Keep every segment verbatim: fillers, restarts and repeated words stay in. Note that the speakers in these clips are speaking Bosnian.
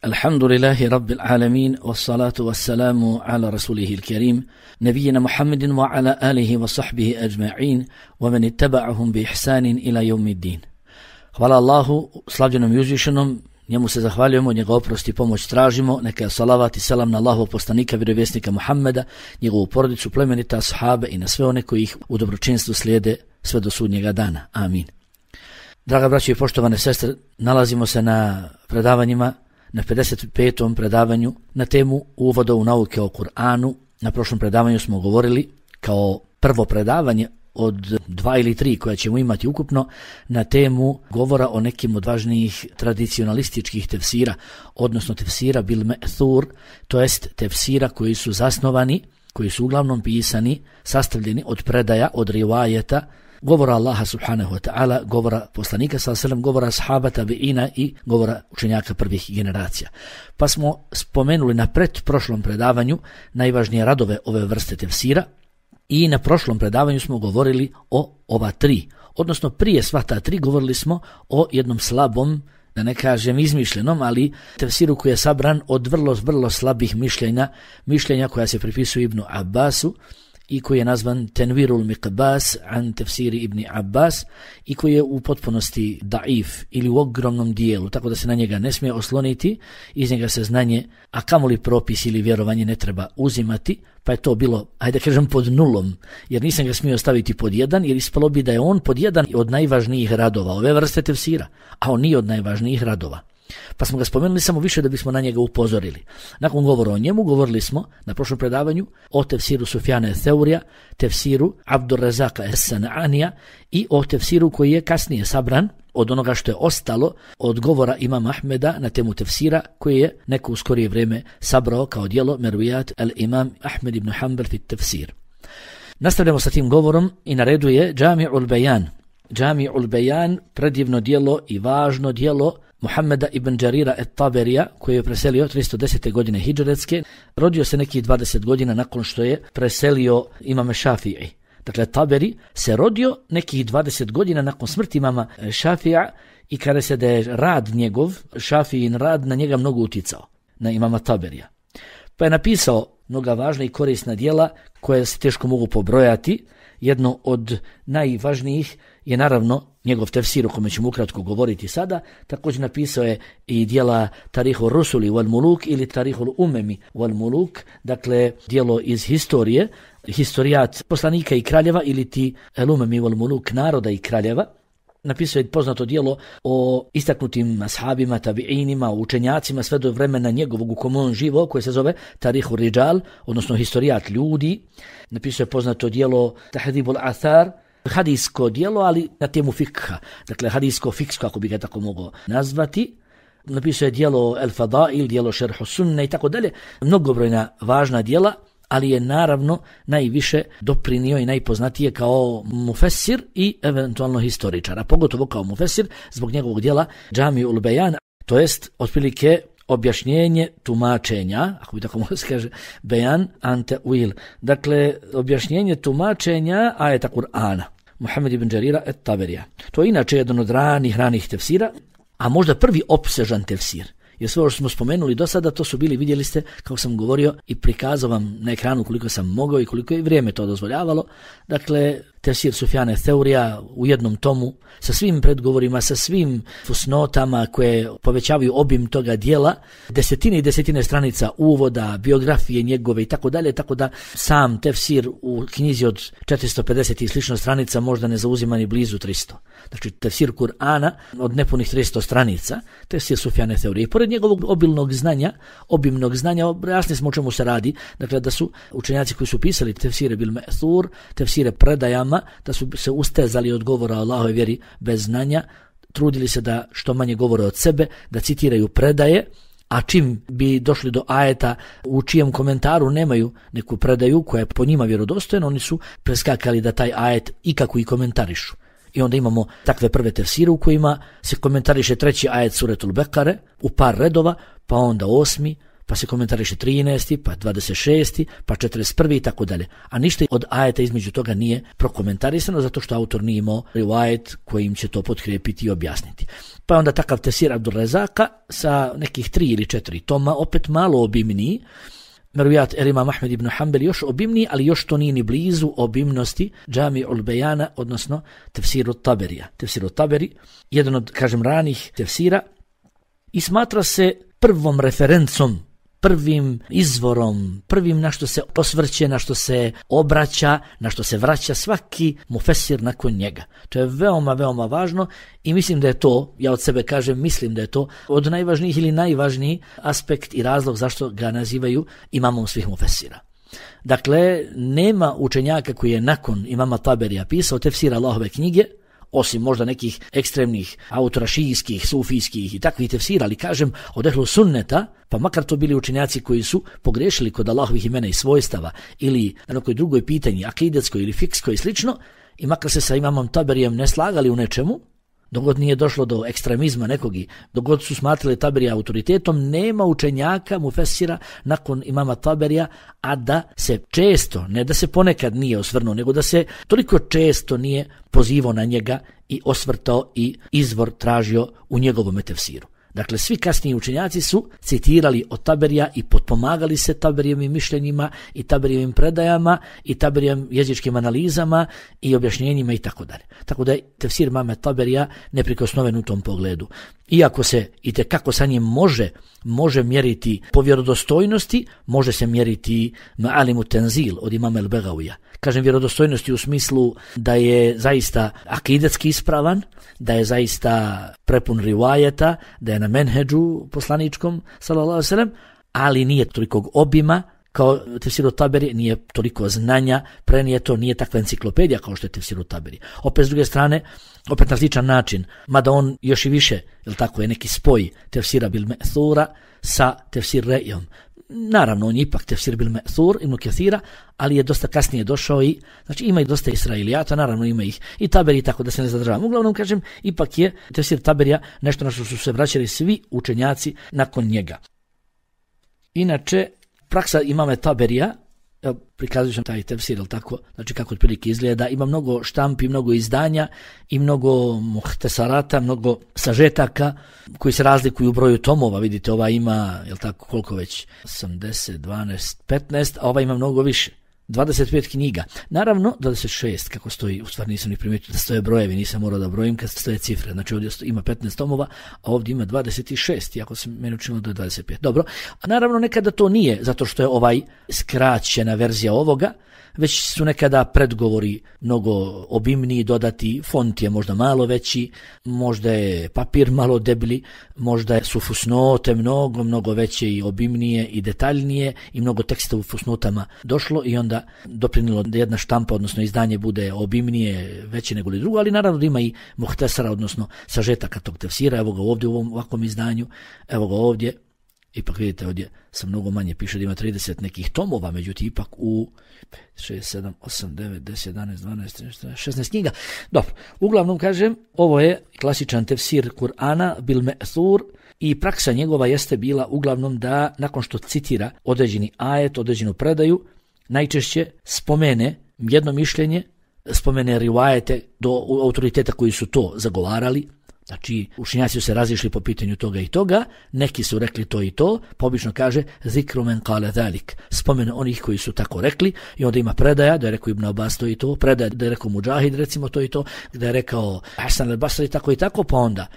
Alhamdulillahi Rabbil Alamin, wassalatu wassalamu ala rasulihi il-Karim, nabijina Muhammedin wa ala alihi wa sahbihi ajma'in, wa man ittaba'ahum bi ihsanin ila yawmiddin. Hvala Allahu, slavljenom i uzvišenom, njemu se zahvaljujemo, njega oprosti i pomoć tražimo, neka je salavat i selam na Allahovog poslanika, vjerovjesnika Muhammeda, njegovu porodicu, plemenita, ashabe i na sve one koji ih u dobročinstvu slijede sve do sudnjega dana. Amin. Draga braćo i poštovane sestre, nalazimo se na predavanjima, na pedeset petom predavanju na temu uvoda u nauke o Kur'anu. Na prošlom predavanju smo govorili kao prvo predavanje od dva ili tri koja ćemo imati ukupno na temu govora o nekim od važnijih tradicionalističkih tefsira, odnosno tefsira bil me'thur, to jest tefsira koji su zasnovani, koji su uglavnom pisani, sastavljeni od predaja, od rivajeta, govora Allaha subhanahu wa ta'ala, govora poslanika sallallahu alejhi ve sellem, govora ashaba tabiina i govora učenjaka prvih generacija. Pa smo spomenuli na pretprošlom predavanju najvažnije radove ove vrste tefsira i na prošlom predavanju smo govorili o ova tri, odnosno prije sva ta tri govorili smo o jednom slabom, da ne kažem izmišljenom, ali tefsiru koji je sabran od vrlo, vrlo slabih mišljenja, mišljenja koja se pripisuju Ibnu Abbasu, i koji je nazvan Tenvirul Miqbas an tefsiri Ibni Abbas i koji je u potpunosti daif ili u ogromnom dijelu, tako da se na njega ne smije osloniti, iz njega se znanje, a kamoli propis ili vjerovanje ne treba uzimati, pa je to bilo, hajde kažem, pod nulom, jer nisam ga smio staviti pod jedan, jer ispalo bi da je on pod jedan od najvažnijih radova ove vrste tefsira, a on nije od najvažnijih radova. Pa smo ga spomenuli samo više da bismo na njega upozorili. Nakon govora o njemu govorili smo na prošlom predavanju o tefsiru Sufjana Theurija, tefsiru Abdurrazaka Es-San'anija i o tefsiru koji je kasnije sabran od onoga što je ostalo od govora imama Ahmeda na temu tefsira koji je neko u skorije vrijeme sabrao kao djelo Mervijat al-Imam Ahmed ibn Hanbal fit tefsir. Nastavljamo sa tim govorom i na redu je Džami'ul Bejan. Džami'ul Bejan, predivno djelo i važno djelo Muhammeda ibn Đarira et-Taberija, koji je preselio tristo desete godine hidžretske, rodio se nekih dvadeset godina nakon što je preselio imame Šafiji. Dakle, Taberi se rodio nekih dvadeset godina nakon smrti imama Šafija i kada se da je rad njegov, Šafijin rad, na njega mnogo uticao, na imama Taberija. Pa je napisao mnoga važna i korisna djela koje se teško mogu pobrojati. Jedno od najvažnijih je naravno njegov tefsir o kome ćemo ukratko govoriti sada. Također napisao je i djela Tarihul Rusuli wal Muluk ili Tarihul Umemi wal Muluk, dakle djelo iz historije, historijat poslanika i kraljeva ili ti El Umemi wal Muluk, naroda i kraljeva. Napisao je poznato djelo o istaknutim ashabima, tabiinima, učenjacima sve do vremena njegovog u kom on živo, koje se zove Tarihul Rijal, odnosno historijat ljudi. Napisao je poznato djelo Tahdibul Athar, hadijsko djelo, ali na temu fikha, dakle hadijsko-fiksko, ako bi ga tako mogao nazvati. Napisao je djelo El Fadail, djelo Šerhu Sunne i tako dalje, mnogobrojna važna djela, ali je naravno najviše doprinio i najpoznatije kao mufesir i eventualno historičar, a pogotovo kao mufesir zbog njegovog djela Džami'ul Bejan, to jest otprilike objašnjenje tumačenja, ako bi tako moglo se kaže, Bejan ante uil, dakle objašnjenje tumačenja ajeta Kur'ana, Muhammed ibn Đarira et-Taberija. To je inače jedan od ranih, ranih tefsira, a možda prvi opsežan tefsir. Jer sve ovo što smo spomenuli do sada, to su bili, vidjeli ste, kako sam govorio i prikazao vam na ekranu koliko sam mogao i koliko je vrijeme to dozvoljavalo. Dakle, tefsir Sufjana Theurija u jednom tomu, sa svim predgovorima, sa svim fusnotama koje povećavaju obim toga dijela, desetine i desetine stranica uvoda, biografije njegove i tako dalje, tako da sam tefsir u knjizi od četiristo pedeset i slično stranica možda ne zauzima ni blizu tristo. Znači, tefsir Kur'ana od nepunih tristo stranica, tefsir Sufjana Theurija. I pored njegovog obilnog znanja, obimnog znanja, jasni smo o čemu se radi, dakle da su učenjaci koji su pisali tefsire bil me'thur, tefsire predajama, da su se ustezali od govora o Allahove vjeri bez znanja, trudili se da što manje govore od sebe, da citiraju predaje, a čim bi došli do ajeta u čijem komentaru nemaju neku predaju koja je po njima vjerodostojna, oni su preskakali da taj ajet ikako i komentarišu. I onda imamo takve prve tefsire u kojima se komentariše treći ajet suretul Bekare u par redova, pa onda osmi, pa se komentariše trinaesti, pa dvadeset šesti, pa četrdeset prvi i tako dalje. A ništa od ajeta između toga nije prokomentarisano zato što autor nije imao rivajet kojim će to potkrijepiti i objasniti. Pa je onda takav tefsir Abdurrazaka sa nekih tri ili četiri toma, opet malo obimniji. Merujat el Imam Ahmed ibn Hanbel još obimniji, ali još to nije ni blizu obimnosti Džami'ul Bejana, odnosno tefsiru Taberija. Tefsiru Taberi, jedan od, kažem, ranih tefsira i smatra se prvom referencom, prvim izvorom, prvim na što se osvrće, na što se obraća, na što se vraća svaki mufesir nakon njega. To je veoma, veoma važno i mislim da je to, ja od sebe kažem, mislim da je to od najvažnijih ili najvažniji aspekt i razlog zašto ga nazivaju imamom svih mufesira. Dakle, nema učenjaka koji je nakon imama Taberija pisao tefsir Allahove knjige, osim možda nekih ekstremnih autora šijskih, sufijskih i takvih tefsira, ali kažem od ehlu sunneta, pa makar to bili učenjaci koji su pogrešili kod Allahovih imena i svojstava ili na nekoj drugoj pitanji, akidetskoj ili fikskoj i slično, i makar se sa imamom Taberijem ne slagali u nečemu, dogod nije došlo do ekstremizma nekog i dogod su smatrali Taberija autoritetom, nema učenjaka mufesira nakon imama Taberija, a da se često, ne da se ponekad nije osvrnuo, nego da se toliko često nije pozivao na njega i osvrtao i izvor tražio u njegovom tefsiru. Dakle, svi kasniji učenjaci su citirali od Taberija i potpomagali se Taberijevim mišljenjima i Taberijevim predajama i Taberijevim jezičkim analizama i objašnjenjima i tako dalje. Tako da je tefsir imama Taberija neprikosnoven u tom pogledu. Iako se i tekako sa njim može, može mjeriti po vjerodostojnosti, može se mjeriti Ma'alimu Tenzil od imama El-Begavija. Kažem vjerodostojnosti u smislu da je zaista akidetski ispravan, da je zaista prepun rivajeta, da je na menheđu poslaničkom, sallallahu alejhi ve sellem, ali nije tolikog obima kao tefsir Taberi, nije toliko znanja, prenijeto, nije takva enciklopedija kao što je tefsir Taberi. Opet s druge strane, opet na sličan način, mada on još i više, jel tako, je neki spoj tefsira bil me'thura sa tefsir rejom. Naravno, on je ipak tefsir bil me'thur ibn Kathira, ali je dosta kasnije došao i, znači ima i dosta Israilijata, naravno ima ih i Taberi, tako da se ne zadržavam. Uglavnom, kažem, ipak je tefsir Taberija nešto na što su se vraćali svi učenjaci nakon njega. Inače, praksa imame Taberija, evo, prikazujem sam taj tefsir, ali tako, znači kako otprilike izgleda, ima mnogo štampi, mnogo izdanja i mnogo muhtesarata, mnogo sažetaka koji se razlikuju u broju tomova. Vidite, ova ima, jel tako, koliko već, osamdeset, dvanaest, petnaest, a ova ima mnogo više. dvadeset pet knjiga. Naravno, dvadeset šest, kako stoji, u stvari nisam ni primijetio da stoje brojevi, nisam morao da brojim kad stoje cifre. Znači ovdje ima petnaest tomova, a ovdje ima dvadeset šest, iako se meni učinilo da je dvadeset pet. Dobro, a naravno nekada to nije, zato što je ovaj skraćena verzija ovoga, već su nekada predgovori mnogo obimniji, dodati, font je možda malo veći, možda je papir malo deblji, možda su fusnote mnogo, mnogo veće i obimnije i detaljnije i mnogo teksta u fusnotama došlo i onda doprinilo da jedna štampa, odnosno izdanje, bude obimnije, veće nego li drugo, ali naravno da ima i muhtesara, odnosno sažetaka tog tefsira. Evo ga ovdje u ovom ovakvom izdanju, evo ga ovdje. Ipak vidite, ovdje sam mnogo manje, piše da ima trideset nekih tomova, međutim ipak u šest, sedam, osam, devet, deset, jedanaest, dvanaest, trinaest, šesnaest knjiga. Dobro, uglavnom kažem, ovo je klasičan tefsir Kur'ana bil me'thur i praksa njegova jeste bila uglavnom da nakon što citira određeni ajet, određenu predaju, najčešće spomene jedno mišljenje, spomene rivajete do autoriteta koji su to zagovarali. Znači, učenjaci su se razišli po pitanju toga i toga, neki su rekli to i to, pa obično kaže zikru men kale zalik, spomene onih koji su tako rekli, i onda ima predaja da je rekao Ibn Abbas to i to, predaja da je rekao Mujahid recimo to i to, da je rekao Hasan al-Basri tako i tako, pa onda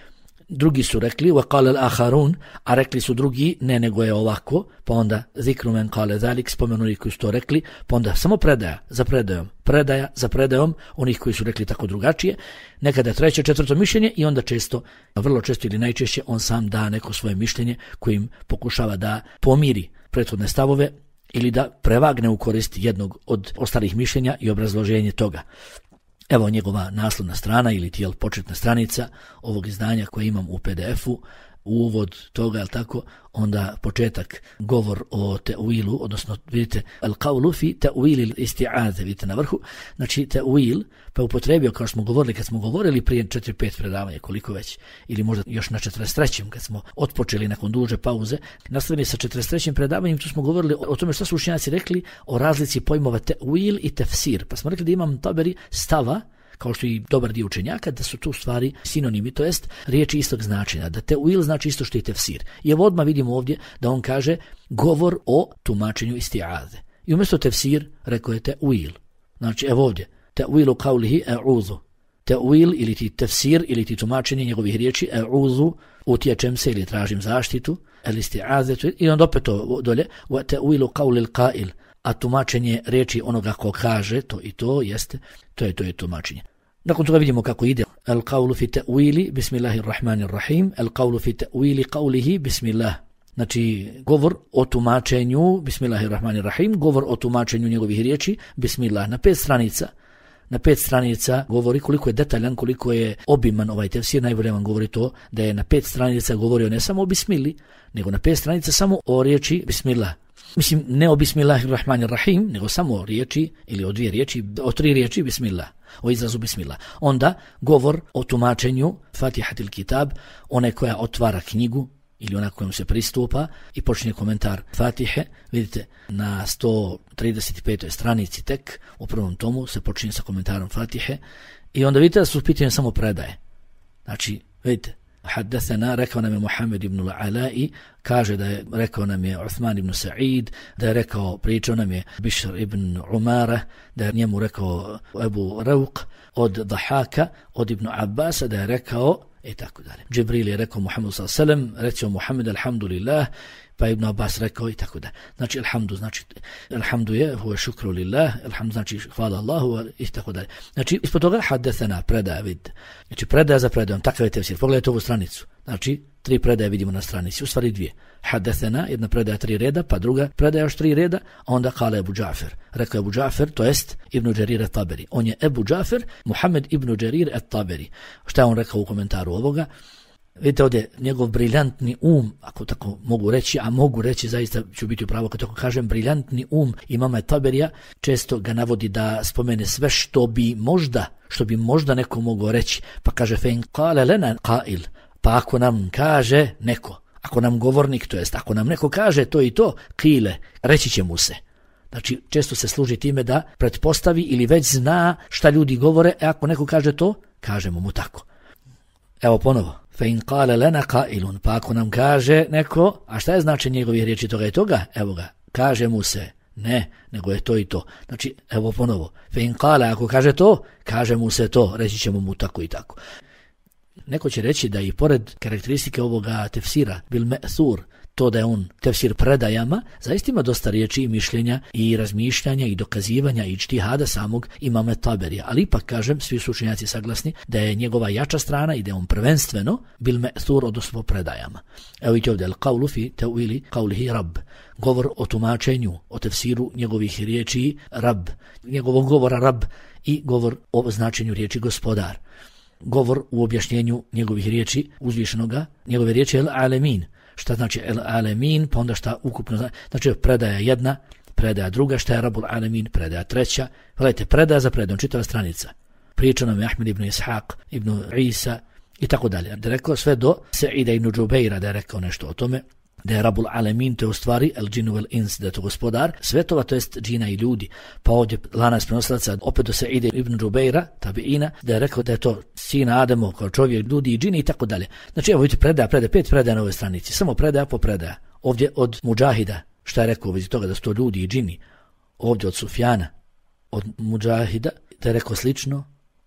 drugi su rekli wa qala al-akharun, a rekli su drugi ne, nego je ovako, pa onda zikru men kale zalik, spomenu onih koji su to rekli, pa onda samo predaja za predajom, predaja za predajom onih koji su rekli tako drugačije, nekada treće, četvrto mišljenje i onda često, vrlo često ili najčešće on sam da neko svoje mišljenje kojim pokušava da pomiri prethodne stavove ili da prevagne u korist jednog od ostalih mišljenja i obrazloženje toga. Evo njegova naslovna strana ili tijel početna stranica ovog izdanja koje imam u P D F-u. uvod toga, jel tako, onda početak, govor o te'wilu, odnosno vidite, al-qawlu fi te'wili isti'aze, vidite na vrhu, znači te'wil, pa upotrebio, kao što smo govorili, kad smo govorili prije četiri pet predavanja, koliko već, ili možda još na četrdeset trećem kad smo otpočeli nakon duže pauze, nastavili sa četrdeset trećim predavanjem, tu smo govorili o tome što su učenjaci rekli o razlici pojmova te'wil i tefsir, pa smo rekli da Imam Taberi stava, kao što i dobar dio učenjaka, da su tu stvari sinonimi, to jest riječi istog značenja, da te'wil znači isto što i tefsir. I evo odmah vidimo ovdje da on kaže govor o tumačenju isti'aze. I umjesto tefsir rekao je te'wil. Znači evo ovdje, te'wilu qawlihi e'udhu. Te'wil ili ti tefsir ili ti tumačenje njegovih riječi e'udhu, utječem se ili tražim zaštitu, el isti'aze, i onda opet to dolje, wa te'wilu qawli al-qa'il. A tumačenje riječi onoga ko kaže to i to jeste, to je to je tumačenje. Nakon toga vidimo kako ide. Al-qawlu fi ta'wili bismillahirrahmanirrahim, al-qawlu fi ta'wili qawlihi bismillah. Znači govor o tumačenju bismillahirrahmanirrahim, govor o tumačenju njegovih riječi bismillah na pet stranica. Na pet stranica govori koliko je detaljan, koliko je obiman ovaj tefsir, najbolje vam govori to da je na pet stranica govorio ne samo o bismili, nego na pet stranica samo o riječi bismillah. Mislim, ne o bismillahirrahmanirrahim, nego samo o riječi, ili o dvije riječi, o tri riječi bismillah, o izrazu bismillah. Onda govor o tumačenju Fatihatil Kitab, one koja otvara knjigu, ili ona kojom se pristupa i počinje komentar Fatihe. Vidite, na sto trideset petoj stranici tek, u prvom tomu, se počinje sa komentarom Fatihe i onda vidite da su pitanje samo predaje. Znači, vidite, Haddathana, rekao nam je Muhammed ibn al-Ala'i, kaže da je rekao nam je Uthman ibn Sa'id, da je rekao, pričao nam je Bishr ibn Umara, da je njemu rekao Ebu Ravq od Dahaka, od Ibn Abbasa, da je rekao i tako dalje. Džibril je rekao Muhammedu sallallahu alejhi ve sellem, recio Muhammed alhamdulillah, pa Ibn Abbas rekao i tako dalje. Znači alhamdu, znači alhamdu je huwa šukru lillah, alhamdu znači hvala Allahu i tako dalje. Znači ispod toga haddathana, predaja, vid. Znači predaja za predajom, takav je tefsir. Pogledajte ovu stranicu. Znači tri predaje vidimo na stranici, u stvari dvije. Haddathana, jedna predaja tri reda, pa druga predaja još tri reda, a onda kala Ebu Džafer. Rekao Ebu Džafer, to jest Ibn Đarir at-Taberi. On je Ebu Džafer, Muhammed ibn Đarir at-Taberi. Šta je on rekao u komentaru ovoga? Vidite ovdje njegov briljantni um, ako tako mogu reći, a mogu reći, zaista ću biti upravo kad tako kažem, briljantni um imama Taberija, često ga navodi da spomene sve što bi možda, što bi možda neko mogao reći, pa kaže fe in qala lana qa'il, pa ako nam kaže neko, ako nam govornik, to jest ako nam neko kaže to i to, qile, reći će mu se. Znači često se služi time da pretpostavi ili već zna šta ljudi govore, e ako neko kaže to, kažemo mu tako. Evo ponovo. Fe in qala lana qa'ilun, pa ako nam kaže neko, a šta je značenje njegovih riječi toga i toga? Evo ga, kaže mu se, ne, nego je to i to. Znači, evo ponovo, fe in qala, ako kaže to, kaže mu se to, reći ćemo mu tako i tako. Neko će reći da i pored karakteristike ovoga tefsira, bil me'thur, to da je on tefsir predajama, zaista ima dosta riječi i mišljenja i razmišljanja i dokazivanja i ijtihada samog imama Taberija. Ali ipak kažem, svi su učenjaci saglasni da je njegova jača strana i da je on prvenstveno bil me'thur, odnosno predajama. Evo vidite ovdje, al-qawlu fi ta'wili qawlihi rabb. Govor o tumačenju, o tefsiru njegovih riječi rab, njegovog govora rab i govor o značenju riječi gospodar. Govor u objašnjenju njegovih riječi uzvišenoga, njegove riječi el-alemin. Šta znači el-alemin, pa onda šta ukupno znači, znači predaja jedna, predaja druga, šta je Rabul Alemin, predaja treća. Gledajte, predaja za predajom, čitava stranica. Priča nam je Ahmed ibn Ishaq, ibn Isa i tako dalje. Da je rekao sve do Sa'ida ibn Džubeira, da je rekao nešto o tome, da je Rabul Alemin, to je u stvari el džinu vel ins, da je to gospodar svetova, to jest džina i ljudi. Pa ovdje lanac prenosilaca opet do Sa'ida ibn Džubeira, tabiina, da je rekao da je to sina Ademo kao čovjek, ljudi i džini i tako dalje. Znači evo vidite predaja, predaja, pet predaja na ovoj stranici, samo predaja po predaja. Ovdje od Mudžahida, šta je rekao u vezi toga da su to ljudi i džini. Ovdje od Sufjana, od Mudžahida, da je rekao slično,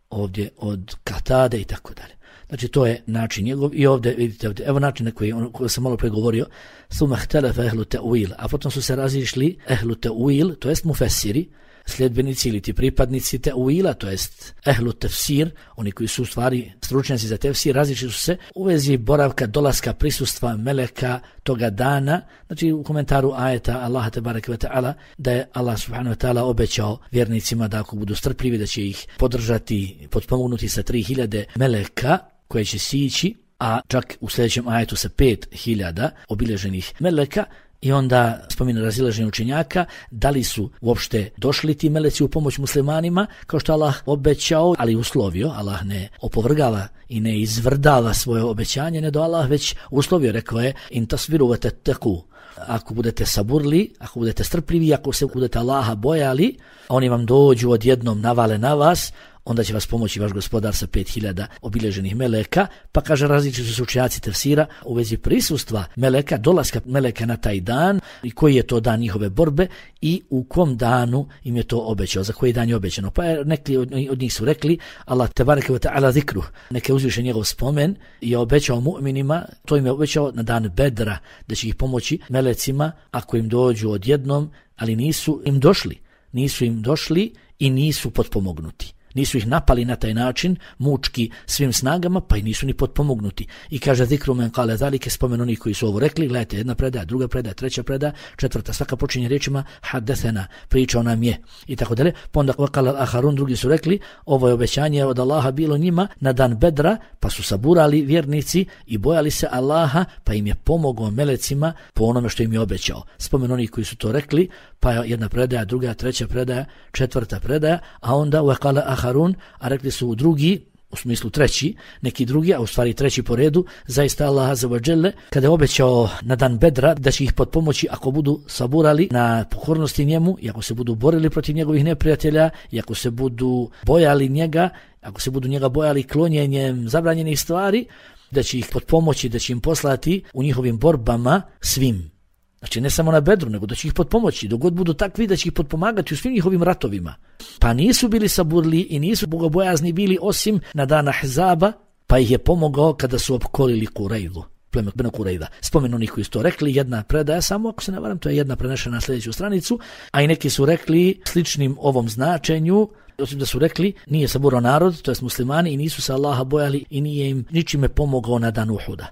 ovdje od Katade i tako dalje. Znači to je način njegov i ovdje vidite ovdje, evo način na koji, on, koji sam malo pregovorio, suma htelefa ehlu te'uil, a potom su se razišli ehlu te'uil, to jest mufessiri, sljedbenici ili ti pripadnici te'uila, to jest ehlu tefsir, oni koji su u stvari stručnjaci za tefsir, razišli su se u vezi boravka, dolaska, prisustva meleka toga dana. Znači u komentaru ajeta Allaha tebareke ve ta'ala da je Allah subhanahu wa ta'ala obećao vjernicima da ako budu strpljivi da će ih podržati, potpomognuti sa tri hiljade meleka koje će sići a čak u sljedećem ajetu sa pet hiljada obilježenih meleka. I onda spomina razilaženje učenjaka, da li su uopšte došli ti meleci u pomoć muslimanima, kao što Allah obećao, ali uslovio, Allah ne opovrgava i ne izvrdava svoje obećanje, ne do Allah već uslovio, rekao je, in tasviru wa tattaqu. Ako budete saburli, ako budete strpljivi, ako se budete Allaha bojali, oni vam dođu odjednom, navale na vas, onda će vas pomoći vaš gospodar sa pet hiljada obilježenih meleka. Pa kaže, različiti su učenjaci tefsira u vezi prisustva meleka, dolaska meleka na taj dan i koji je to dan njihove borbe i u kom danu im je to obećao, za koji dan je obećano. Pa je, neki od, od njih su rekli, Allah tebareke ve ta'ala zikru, neke uzviše njegov spomen, je obećao mu'minima, to im je obećao na dan Bedra, da će ih pomoći melecima ako im dođu odjednom, ali nisu im došli, nisu im došli i nisu potpomognuti. Nisu ih napali na taj način, mučki svim snagama, pa i nisu ni potpomognuti. I kaže zikru men kale zalike, spomen oni koji su ovo rekli, gledajte, jedna predaja, druga predaja, treća predaja, četvrta, svaka počinje riječima hadethena, pričao nam je, i tako dalje. Pa onda vakala aharun, drugi su rekli, ovo je obećanje od Allaha bilo njima na dan Bedra, pa su saburali vjernici i bojali se Allaha, pa im je pomogao melecima po onome što im je obećao. Spomen oni koji su to rekli, pa jedna predaja, druga, treća predaja, četvrta predaja, a onda vakala aharun, a rekli su drugi, u smislu treći, neki drugi, a u stvari treći po redu, zaista Allah azza wa dželle, kada je obećao na dan Bedra da će ih potpomoći ako budu saburali na pokornosti njemu, i ako se budu borili protiv njegovih neprijatelja, i ako se budu bojali njega, ako se budu njega bojali klonjenjem zabranjenih stvari, da će ih potpomoći, da će im poslati u njihovim borbama svim. Znači ne samo na Bedru, nego da će ih potpomoći, dok god budu takvi da će ih potpomagati u svim njihovim ratovima. Pa nisu bili saburli i nisu bogobojazni bili osim na dan Ahzaba, pa ih je pomogao kada su opkolili Kurejdu, pleme Benu Kurejda. Spomen onih koji su to rekli, jedna predaja samo, ako se ne varam, to je jedna prenešena na sljedeću stranicu, a i neki su rekli sličnim ovom značenju, osim da su rekli nije saburao narod, to jest muslimani, i nisu se Allaha bojali i nije im ničime pomogao na dan Uhuda.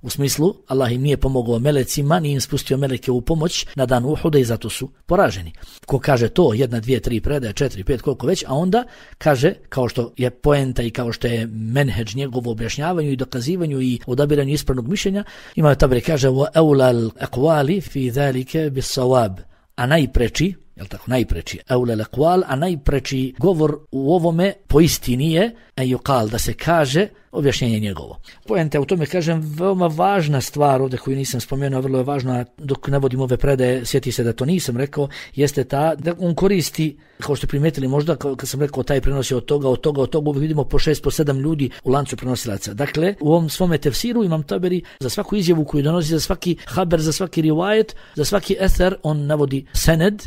U smislu, Allah im nije pomogao melecima, nije im spustio meleke u pomoć na dan Uhuda i zato su poraženi. Ko kaže to, jedna, dvije, tri predaje, četiri, pet, koliko već, a onda kaže, kao što je poenta i kao što je menheđ njegovo objašnjavanju i dokazivanju i odabiranju ispravnog mišljenja, ima Tabari kaže, wa awla al-aqwali fi zalika bis-sawab, a najpreči, jel tako, najpreči, awla al-aqwal, a najpreči govor u ovome po istini je, a yuqal, da se kaže, objašnjenje njegovo. Poenta u tome, kažem, veoma važna stvar ovdje koju nisam spomenuo, vrlo je važna, dok navodim ove predaje, sjeti se da to nisam rekao, jeste ta da on koristi, kao što primetili možda, kad sam rekao taj prenosi od toga, od toga, od toga, uvijek vidimo po šest, po sedam ljudi u lancu prenosilaca. Dakle, u ovom svome tefsiru imam Taberi za svaku izjavu koju donosi, za svaki haber, za svaki rivajet, za svaki ether, on navodi sened,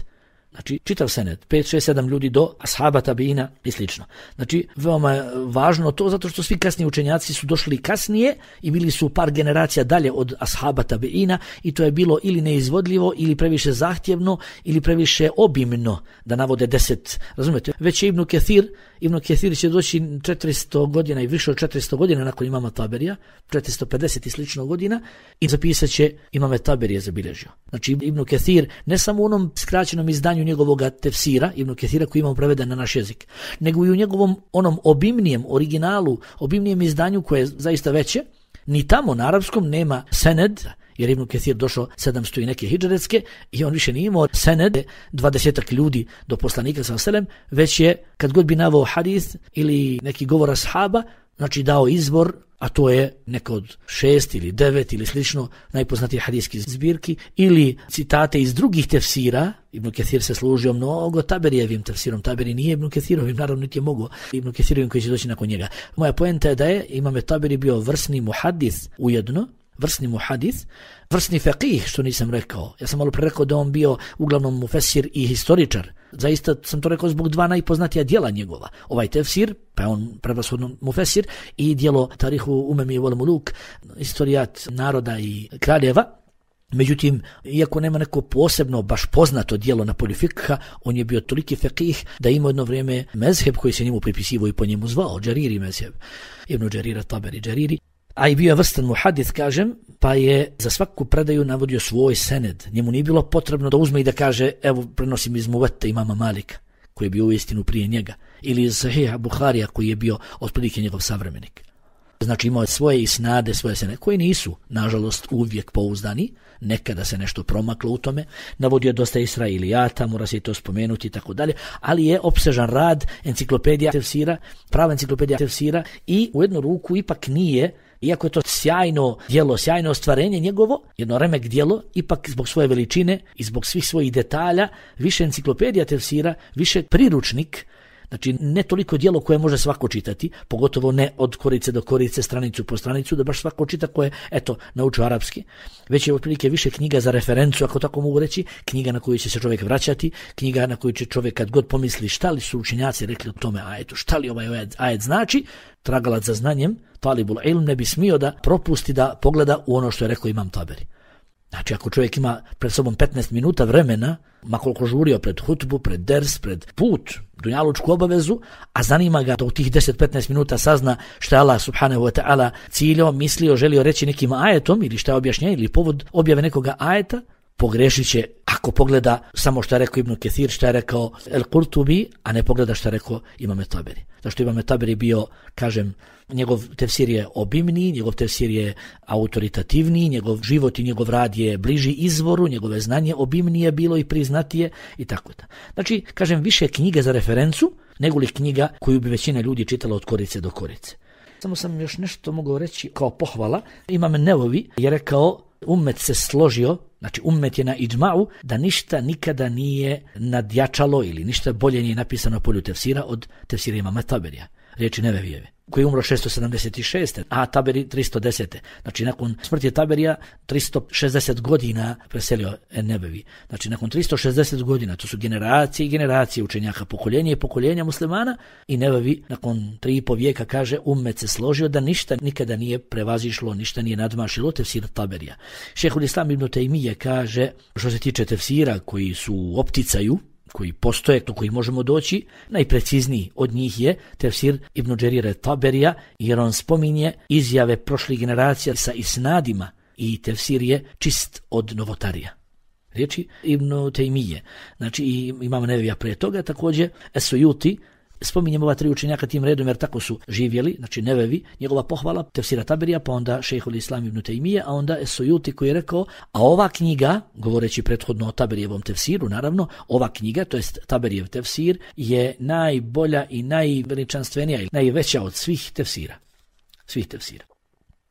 znači čitav sened, pet, šest, sedam ljudi do ashaba tabiina i slično. Znači veoma je važno to zato što svi kasniji učenjaci su došli kasnije i bili su par generacija dalje od ashaba tabiina i to je bilo ili neizvodljivo ili previše zahtjevno ili previše obimno da navode deset, razumete? Već je Ibn Kathir, Ibn Kathir će doći četiristo godina i više od četiristo godina nakon imama Taberija, četiristo pedeset i slično godina i zapisat će imame Taberije zabilježio. Znači Ibn Kathir ne samo u onom skraćenom izdanju njegovog tefsira, Ibn Kathira koji imamo preveden na naš jezik, nego i u njegovom onom obimnijem originalu, obimnijem izdanju koje je zaista veće, ni tamo na arapskom nema sened, jer Ibn Kathir došao sedamsto i neke hidžretske i on više nije imao sened, dvadesetak ljudi do poslanika sallallahu alejhi ve sellem, već je, kad god bi naveo hadis ili neki govor ashaba, znači dao izvor, a to je neko od šest ili devet ili slično najpoznatije hadijskih zbirki, ili citate iz drugih tefsira. Ibn Kathir se služio mnogo Taberijevim tefsirom. Taberi nije Ibn Kathirovim, naravno niti je mogo Ibn Kathirovim koji će doći nakon njega. Moja poenta je da je imam Taberi bio vrsni muhadis ujedno, vrsni muhadis, vrsni faqih, što nisam rekao. Ja sam malo pre rekao da on bio uglavnom mufesir i historičar. Zaista sam to rekao zbog dva najpoznatija djela njegova. Ovaj tefsir, pa je on prevashodno mufesir, i djelo Tarihu Umemi wal Muluk, historijat naroda i kraljeva. Međutim, iako nema neko posebno, baš poznato djelo na polju fikha, on je bio toliki faqih da ima jedno vrijeme mezheb koji se njemu pripisivao i po njemu zvao, Džariri mezheb, Ibn Džarira Taberi Džariri. A i bio je vrstan muhadis, kažem, pa je za svaku predaju navodio svoj sened. Njemu nije bilo potrebno da uzme i da kaže, evo, prenosim iz Muvette imama Malika, koji je bio uistinu prije njega, ili iz Sahiha Buharija, koji je bio otprilike njegov savremenik. Znači imao svoje isnade, svoje sene, koji nisu, nažalost, uvijek pouzdani, nekada se nešto promaklo u tome, navodio dosta Israilijata, mora se i to spomenuti i tako dalje, ali je opsežan rad, enciklopedija tefsira, prava enciklopedija tefsira i u jednu ruku ipak nije, iako je to sjajno djelo, sjajno ostvarenje njegovo, jedno remek djelo, ipak zbog svoje veličine i zbog svih svojih detalja, više enciklopedija tefsira, više priručnik, znači ne toliko djelo koje može svako čitati, pogotovo ne od korice do korice, stranicu po stranicu, da baš svako čita koje, eto, naučio arapski, već je otprilike više knjiga za referencu, ako tako mogu reći, knjiga na koju će se čovjek vraćati, knjiga na koju će čovjek kad god pomisli šta li su učenjaci rekli o tome ajetu, šta li ovaj ajet, ajet znači, tragalac za znanjem, talibul ilm ne bi smio da propusti da pogleda u ono što je rekao Imam Taberi. Znači, ako čovjek ima pred sobom petnaest minuta vremena, makoliko žurio pred hutbu, pred ders, pred put, dunjalučku obavezu, a zanima ga da u tih deset do petnaest minuta sazna šta je Allah subhanahu wa ta'ala ciljao, mislio, želio reći nekim ajetom ili šta je objašnjenje ili povod objave nekoga ajeta, pogrešit će ako pogleda samo što je rekao Ibn Kathir, što je rekao El Qurtubi, a ne pogleda što je rekao Imam Taberi. Zašto Imam Taberi bio, kažem, njegov tefsir je obimniji, njegov tefsir je autoritativniji, njegov život i njegov rad je bliži izvoru, njegove znanje obimnije bilo i priznatije i tako da. Znači, kažem, više knjige za referencu nego li knjiga koju bi većina ljudi čitala od korice do korice. Samo sam još nešto mogao reći kao pohvala. Imam Nevovi je rekao, ummet se složio, znači ummet je na idžma'u, da ništa nikada nije nadjačalo ili ništa bolje nije napisano polju tefsira od tefsira Imama Taberija, riječi Nevevijeve, koji je umro šesto sedamdeset šeste, a Taberi tristo desete. Znači nakon smrti Taberija tristo šezdeset godina preselio Nevevi. Znači nakon tristo šezdeset godina, to su generacije i generacije učenjaka, pokoljenje i pokoljenja muslimana, i Nevevi nakon tri i po vijeka kaže, ummet se složio da ništa nikada nije prevazišlo, ništa nije nadmašilo tefsir Taberija. Šejhul Islam ibn Tejmije kaže, što se tiče tefsira koji su u opticaju, koji postoje, do kojih možemo doći, najprecizniji od njih je tefsir Ibn Đerira Taberija, jer on spominje izjave prošlih generacija sa isnadima i tefsir je čist od novotarija. Riječi Ibn Tejmije. Znači i imamo Nevevija prije toga, također Esujuti, spominjemo ova tri učenjaka tim redom jer tako su živjeli, znači Nevevi, njegova pohvala tefsira Taberija, pa onda Šejhul Islam ibn Tejmije, a onda Esujuti koji je rekao, a ova knjiga, govoreći prethodno o Taberijevom tefsiru, naravno, ova knjiga, to jest Taberijev tefsir, je najbolja i najveličanstvenija i najveća od svih tefsira. Svih tefsira.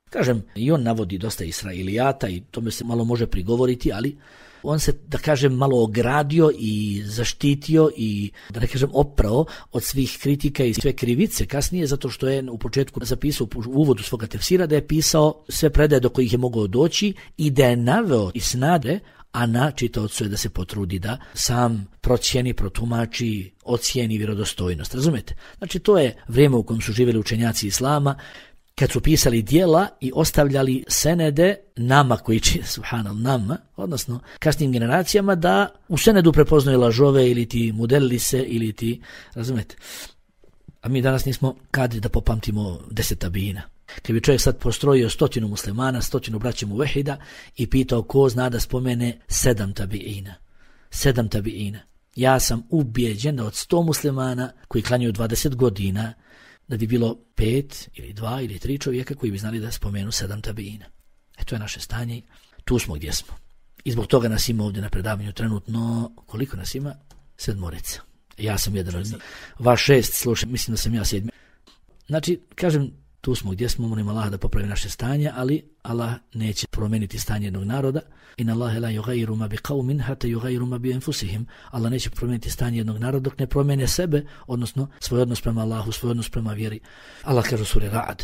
Kažem, i on navodi dosta Israilijata i tome se malo može prigovoriti, ali on se, da kažem, malo ogradio i zaštitio i, da ne kažem, oprao od svih kritika i sve krivice kasnije, zato što je u početku zapisao u uvodu svoga tefsira da je pisao sve predaje do kojih je mogao doći i da je naveo isnade, a na čitaocu je da se potrudi da sam procijeni, protumači, ocijeni vjerodostojnost. Razumete? Znači, to je vrijeme u kojem su živjeli učenjaci islama, kad su pisali djela i ostavljali senede nama koji će, subhanal, nama, odnosno kasnim generacijama, da u senedu prepoznaju lažove ili ti mudellise ili ti, razumete. A mi danas nismo kadri da popamtimo deset tabijina. Kad bi čovjek sad postrojio stotinu muslimana, stotinu braća muvehida i pitao ko zna da spomene sedam tabijina. Sedam tabijina. Ja sam ubijeđen da od sto muslimana koji klanjaju dvadeset godina, da bi bilo pet ili dva ili tri čovjeka koji bi znali da spomenu sedam tabijina. E to je naše stanje, tu smo gdje smo. I zbog toga nas ima ovdje na predavanju trenutno, koliko nas ima? Sedmorica. Ja sam jedan od njih. Vaš šest, slušaj, mislim da sam ja sedmi. Znači, kažem, tu smo gdje smo, molim Allah da popravi naše stanje, ali Allah neće promijeniti stanje jednog naroda. Inna Allahe la yughayyiru ma biqawmin hatta yughayyiru ma bi anfusihim. Allah neće promijeniti stanje jednog naroda dok ne promijene sebe, odnosno svoj odnos prema Allahu, svoj odnos prema vjeri. Allah kaže u suri Ra'd.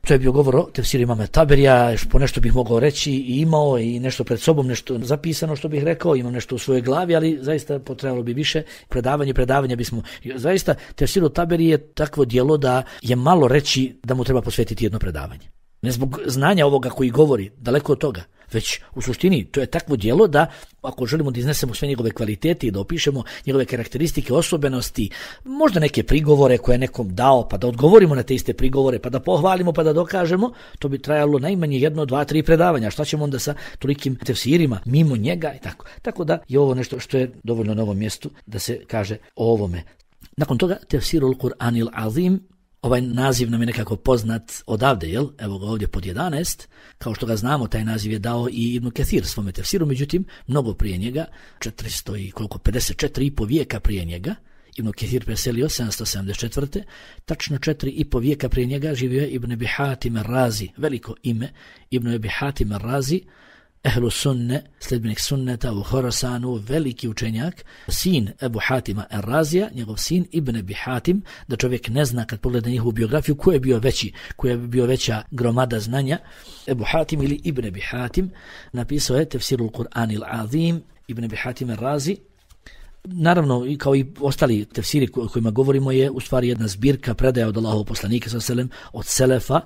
To je bio govor o tefsiru Imama Taberija, po nešto bih mogao reći i imao i nešto pred sobom, nešto zapisano što bih rekao, imam nešto u svojoj glavi, ali zaista potrebalo bi više predavanje, predavanje bismo, zaista tefsiru Taberi je takvo djelo da je malo reći da mu treba posvetiti jedno predavanje. Ne zbog znanja ovoga koji govori, daleko od toga, već u suštini to je takvo djelo da ako želimo da iznesemo sve njegove kvalitete i da opišemo njegove karakteristike, osobenosti, možda neke prigovore koje je nekom dao, pa da odgovorimo na te iste prigovore, pa da pohvalimo, pa da dokažemo, to bi trajalo najmanje jedno, dva, tri predavanja. Šta ćemo onda sa tolikim tefsirima mimo njega i tako. Tako da je ovo nešto što je dovoljno na ovom mjestu da se kaže o ovome. Nakon toga tefsirul Kur'anil Azim, Ovaj naziv nam je nekako poznat odavde, jel? Evo ga ovdje pod jedanaest. Kao što ga znamo, taj naziv je dao i Ibn Kathir svome tefsiru, međutim, mnogo prije njega, četiristo i koliko, pedeset četiri i po vijeka prije njega, Ibn Kathir preselio sedamsto sedamdeset četvrte. Tačno četiri i po vijeka prije njega živio je Ibn Abi Hatim ar-Razi, veliko ime, Ibn Abi Hatim ar-Razi, ehlu sunne, sledbenik sunneta u Horasanu, veliki učenjak, sin Ebu Hatima ar-Razija, njegov sin Ibn Abi Hatim, da čovjek ne zna kad pogleda njihovu biografiju ko je bio veći, ko je bio veća gromada znanja. Ebu Hatim ili Ibn Abi Hatim napisao je Tefsirul Kur'anil Azim, Ibn Abi Hatim ar-Razi. Naravno, kao i ostali tefsiri o kojima govorimo, je u stvari jedna zbirka predaja od Allahovog poslanika sallallahu alejhi ve sellem, od selefa.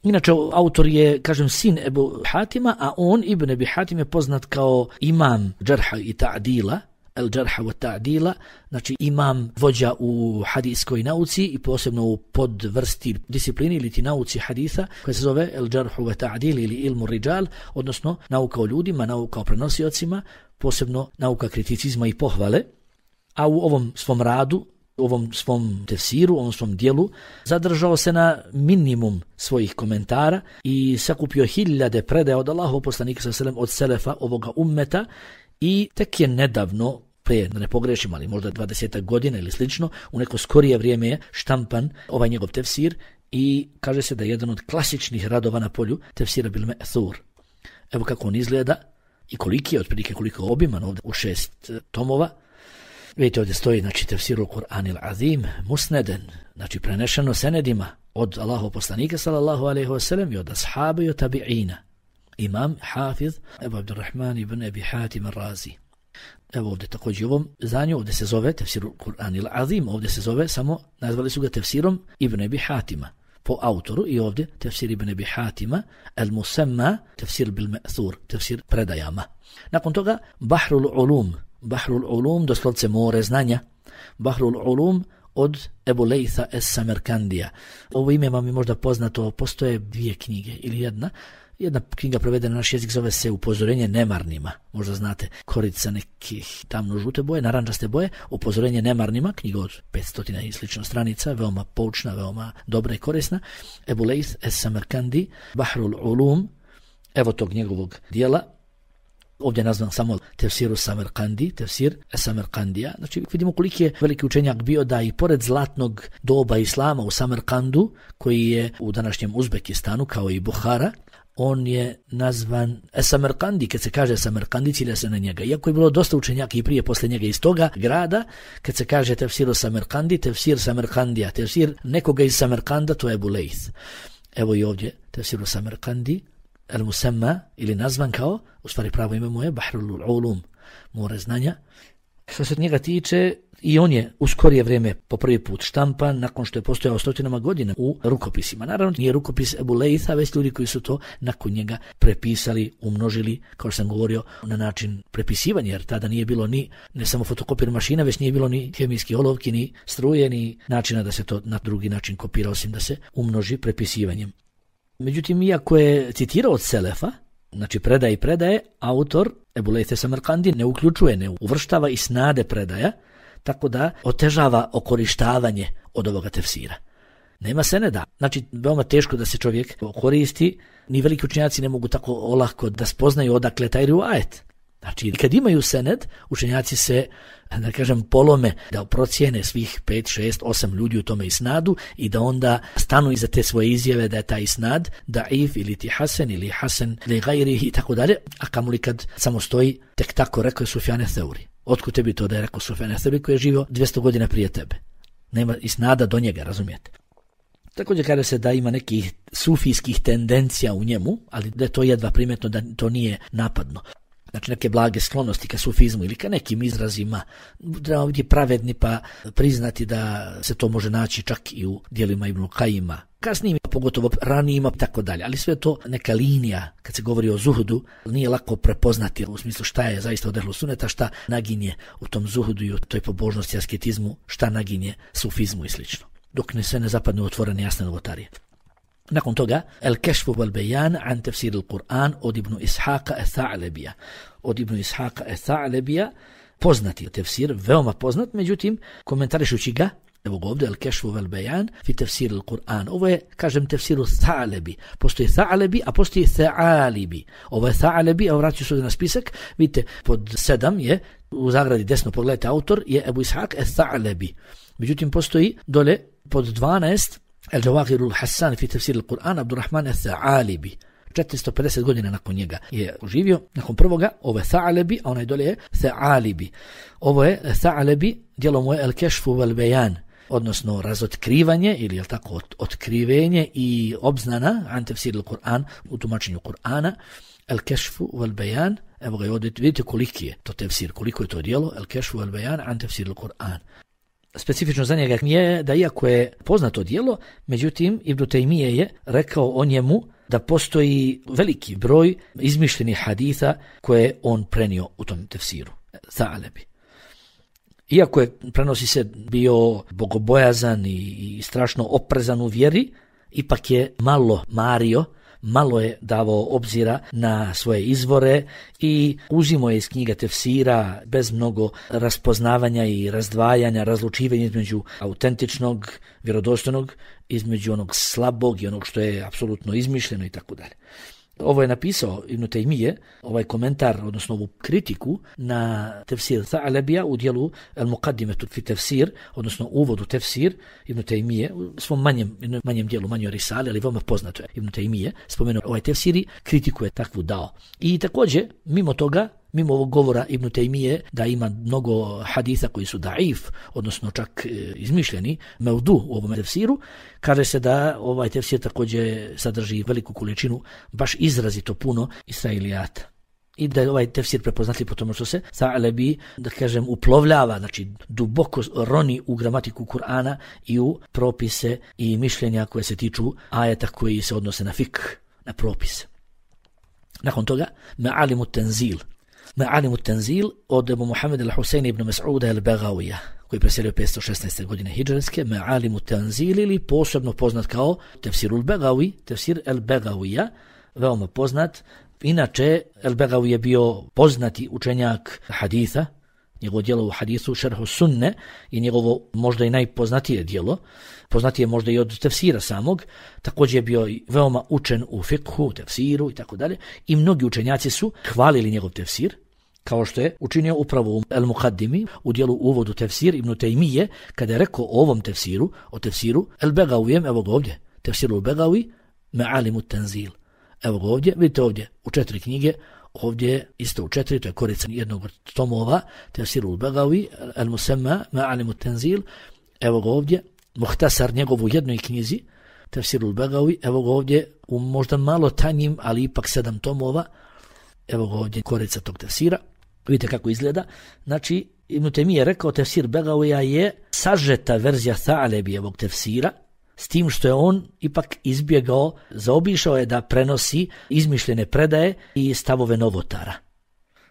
Inače, autor je, kažem, sin Ebu Hatima, a on, Ibn Abi Hatim, je poznat kao imam džarha i ta'dila, el džarha wa ta'dila, znači imam vođa u hadijskoj nauci i posebno u podvrsti disciplini ili ti nauci haditha, koja se zove el džarhu wa ta'dil ili ilmu rijal, odnosno nauka o ljudima, nauka o prenosiocima, posebno nauka kriticizma i pohvale. A u ovom svom radu, u ovom svom tefsiru, u ovom svom dijelu, zadržao se na minimum svojih komentara i sakupio hiljade predaja od Allahovog poslanika sallallahu alejhi ve sellem, od selefa ovoga ummeta, i tek je nedavno, prije, da ne pogrešim, ali možda dvadesetak godina ili slično, u neko skorije vrijeme je štampan ovaj njegov tefsir i kaže se da je jedan od klasičnih radova na polju tefsira bil me'thur. Evo kako on izgleda i koliki je, otprilike koliko je obiman, ovdje u šest tomova. Vidite, ovdje stoji, znači, Tefsirul Kur'anil Azim, musneden, znači prenešeno senedima od Allahovog poslanika sallallahu alejhi ve sellem i od ashaba i od tabi'ina. Imam Hafiz Ebu Abdurrahman ibn Abi Hatim ar-Razi. Evo ovdje također ovom zanju, ovdje se zove Tefsirul Kur'anil Azim, ovdje se zove samo, nazvali su ga tefsirom Ibn Abi Hatima po autoru, i ovdje tefsir Ibn Abi Hatima, al-Musamma, tefsir bil me'thur, tefsir predajama. Nakon toga Bahrul Ulum, Bahrul Ulum, doslovce more znanja, Bahrul Ulum od Ebu Lejtha es-Samerkandija. Ovo ime vam je možda poznato, postoje dvije knjige ili jedna. Jedna knjiga prevedena na naš jezik zove se Upozorenje nemarnima. Možda znate, korica nekih tamno-žute boje, narančaste boje, Upozorenje nemarnima, knjiga od petsto i slično stranica, veoma poučna, veoma dobra i korisna. Ebu Lejth es-Samerkandi, Bahrul Ulum, evo tog njegovog dijela. Ovdje je nazvan samo tefsiru Samerkandi, tefsir Samerkandija. Znači vidimo koliki je veliki učenjak bio, da i pored zlatnog doba islama u Samerkandu, koji je u današnjem Uzbekistanu kao i Buhara, on je nazvan Samerkandi. Kad se kaže Samerkandi, cilja se na njega. Iako je bilo dosta učenjaka i prije posle njega iz toga grada, kad se kaže tefsiru Samerkandi, tefsir Samerkandija, tefsir nekoga iz Samerkanda, to je Ebu Lejth. Evo i ovdje tefsiru Samerkandi, al-Musamma, ili nazvan kao, u stvari pravo ime mu je Bahrul Ulum, more znanja. Što se njega tiče, i on je u skorije vrijeme po prvi put štampan, nakon što je postojao stotinama godina u rukopisima. Naravno, nije rukopis Ebu Lejtha, već ljudi koji su to nakon njega prepisali, umnožili, kao što sam govorio, na način prepisivanja, jer tada nije bilo ni ne samo fotokopir mašina, već nije bilo ni hemijski olovki, ni struje, ni načina da se to na drugi način kopira, osim da se umnoži prepisivanjem. Međutim, iako je citirao od selefa, znači predaje i predaje, autor Ebu Lejth es-Samerkandi ne uključuje, ne uvrštava i snade predaja, tako da otežava okorištavanje od ovoga tefsira. Nema seneda. Znači, veoma teško da se čovjek koristi, ni veliki učenjaci ne mogu tako olako da spoznaju odakle taj rivajet. Znači, kad imaju sened, učenjaci se, da kažem, polome da procijene svih pet, šest, osam ljudi u tome isnadu i da onda stanu iza te svoje izjave da je taj isnad daif ili ti hasen ili hasen li gajrihi i tako dalje, a kamoli kad samo stoji tek tako rekao je Sufjan Theuri. Otkud tebi to da je rekao Sufjan Theuri koji je živio dvjesto godina prije tebe? Nema isnada do njega, razumijete? Također kaže se da ima nekih sufijskih tendencija u njemu, ali da je to jedva primjetno, da to nije napadno. Znači neke blage sklonosti ka sufizmu ili ka nekim izrazima, treba biti pravedni pa priznati da se to može naći čak i u dijelima Ibn Kajima, kasnijim, pogotovo ranijima, tako dalje. Ali sve to neka linija, kad se govori o zuhudu, nije lako prepoznati u smislu šta je zaista od ehlu suneta, šta naginje u tom zuhudu i u toj pobožnosti, asketizmu, šta naginje sufizmu i slično. Dok ne sve ne zapadne u otvorene jasne novotarije. Nakon toga, El-Kešfu wal-Bejan an tefsir al-Qur'an od Ibnu Ishaqa al-Tha'lebija. Od Ibnu Ishaqa al-Tha'lebija, poznati tefsir, veoma poznat, međutim, komentarišući ga, Evo ga ovdje, al-kešfu vel bejan fi tefsir al-Kur'an. Ovo je, kažem, tefsiru Tha'lebi. Postoji Tha'lebi, a postoji Tha'alibi. Ovo je Tha'lebi, a vraću se ovdje na spisak. Vidite, pod sedam je, u zagradi desno pogledajte, autor je Ebu Ishaq al-Tha'lebi. Međutim, postoji dole pod dvanaest, al-Jawahirul Hassan fi tefsir al-Kur'an, Abdurrahman al-Tha'alibi. četiristo pedeset godina nakon njega je živio, nakon prvoga, ovo je Tha'lebi, a onaj dole je Tha'alibi. Ovo je Tha'lebi, djelo mu je al-kešfu vel bejan, odnosno razotkrivanje ili je tako ot, otkrivenje i obznana an tefsir al-Kur'an, u tumačenju Kur'ana, al-kešfu vel bejan. Evo ga ovdje, vidite koliki je to tefsir, koliko je to djelo, al-kešfu vel bejan an tefsir al-Kur'an. Specifično za njega je da iako je poznato djelo, međutim Ibn Taymije je rekao o njemu da postoji veliki broj izmišljenih haditha koje on prenio u tom tefsiru. Tha'lebi. Iako je, prenosi se, bio bogobojazan i, i strašno oprezan u vjeri, ipak je malo mario, malo je davao obzira na svoje izvore i uzimo je iz knjiga tefsira bez mnogo raspoznavanja i razdvajanja, razlučivanja između autentičnog, vjerodostojnog, između onog slabog i onog što je apsolutno izmišljeno i tako dalje. Ovo je napisao Ibn Taymije, ovaj komentar, odnosno ovu kritiku na tefsir Tha'lebija u dijelu Al-Muqaddimetu fi tefsir, odnosno uvod u tefsir Ibn Taymije, u svom manjem, manjem dijelu, manjoj risali, ali veoma poznato je Ibn Taymije, spomenuo ovaj tefsir i kritiku je takvu dao. I također, mimo toga, mimo ovog govora Ibn Taymije da ima mnogo haditha koji su daif, odnosno čak e, izmišljeni, mevdu u ovom tefsiru, kaže se da ovaj tefsir također sadrži veliku količinu, baš izrazito puno israilijata. I da je ovaj tefsir prepoznatljiv po tomu što se Tha'lebi, da kažem, uplovljava, znači duboko roni u gramatiku Kur'ana i u propise i mišljenja koje se tiču ajeta koji se odnose na fik, na propise. Nakon toga, Ma'alimu Tenzil. Ma'alimu Tenzil od Ebu Muhammed al-Husayn ibn Mas'uda al-Bagawija, koji je preselio petsto šesnaeste godine hidžarske. Ma'alimu Tenzil, ili posebno poznat kao tefsir al-Bagawi, tefsir al-Bagawija, veoma poznat. Inače, al-Bagawi je bio poznati učenjak haditha, njegovo djelo u hadithu Šerhu Sunne i njegovo možda i najpoznatije djelo, poznatije možda i od tefsira samog, također je bio veoma učen u fikhu, tefsiru i tako dalje, i mnogi učenjaci su hvalili njegov tefsir, kao što je učinio upravo u Al-Muqaddimi, u dijelu uvodu tefsir Ibn Taymije, kada je rekao o ovom tefsiru, o tefsiru Al-Bagawijem, evo ga ovdje, tefsiru Al-Bagawi, Ma'alimu Tenzil. Evo ga ovdje, vidite ovdje, u četiri knjige, ovdje isto u četiri, to je korica jednog od tomova, tefsiru Al-Bagawi, Al-Musamma, Ma'alimu Tenzil, evo ga ovdje, muhtasar njegov u jednoj knjizi, tefsiru Al-Bagawi, evo ga ovdje u možda malo tanjim, ali ipak sedam tomova, evo ga ovdje korica tog tefsira, vidite kako izgleda. Znači, Ibn Taymije je rekao, tefsir Bagawija je sažeta verzija Tha'lebijevog tefsira, s tim što je on ipak izbjegao, zaobišao je da prenosi izmišljene predaje i stavove novotara.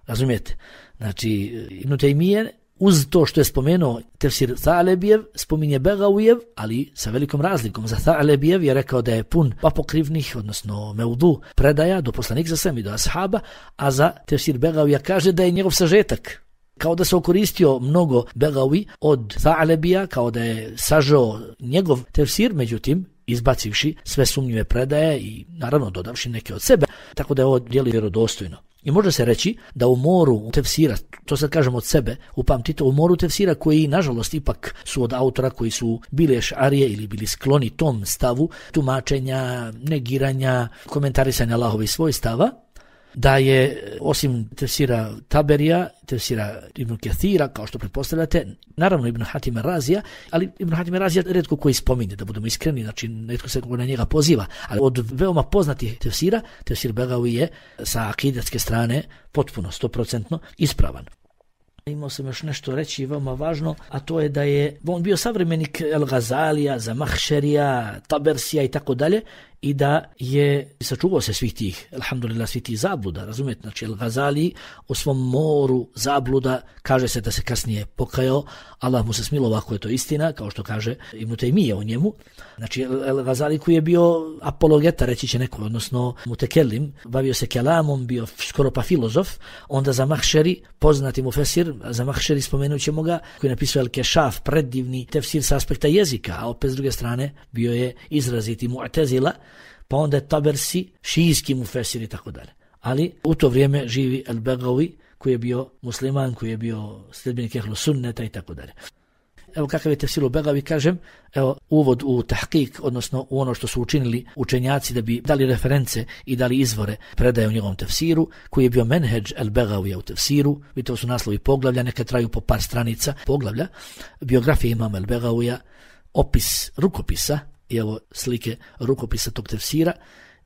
Razumijete? Znači, Ibn Taymije uz to što je spomenuo tefsir Tha'lebijev, spominje Bagawijev, ali sa velikom razlikom. Za Tha'lebijev je rekao da je pun apokrivnih, odnosno meudu predaja do poslanika sa svem i do ashaba, a za tefsir Bagawija kaže da je njegov sažetak. Kao da se okoristio mnogo Bagawi od Tha'lebija, kao da je sažao njegov tefsir, međutim, izbacivši sve sumnjive predaje i naravno dodavši neke od sebe, tako da je ovo djelo vjerodostojno. I može se reći da u moru tefsira, to sad kažem od sebe, upamtite, u moru tefsira koji nažalost ipak su od autora koji su bili ešarije ili bili skloni tom stavu tumačenja, negiranja, komentarisanja Allahovih svojstava, da je osim tefsira Taberija, tefsira Ibn Kathira, kao što pretpostavljate, naravno Ibn Hatim Razija, ali Ibn Hatim Razija redko koji spominje, da budemo iskreni, znači netko se na njega poziva, ali od veoma poznatih tefsira, tefsir Bagawi je sa akidatske strane potpuno, sto procentno ispravan. Imao sam još nešto reći veoma važno, a to je da je on bio savremenik El Gazalija, Zamahšerija, Tabersija i tako dalje, i da je sačuvao se svih tih, alhamdulillah, svih tih zabluda, razumijete? Znači, El-Gazali u svom moru zabluda, kaže se da se kasnije pokajao, Allah mu se smilo, ako je to istina, kao što kaže Ibn Taymije o njemu. Znači, El-Gazali koji je bio apologeta, reći će neko, odnosno mutekelim, bavio se kelamom, bio skoro pa filozof, onda Zamahšeri, poznati mufesir, Zamahšeri spomenut ćemo ga, koji je napisao El-Kešaf, predivni tefsir sa aspekta jezika, a opet s druge strane bio je izraziti mu'tezila, pa onda je Tabersi, šijski mufesir i tako dalje. Ali u to vrijeme živi El-Begavi, koji je bio musliman, koji je bio sljedbenik ehlu sunneta i tako dalje. Evo kakav je tefsir El-Begavi, kažem, evo uvod u tahkik, odnosno u ono što su učinili učenjaci da bi dali reference i dali izvore predaje u njegovom tefsiru, koji je bio menheđ El-Begavija u tefsiru, vi to su naslovi poglavlja, neka traju po par stranica poglavlja, biografija imama El-Begavija, opis rukopisa, i evo slike rukopisa tog tefsira,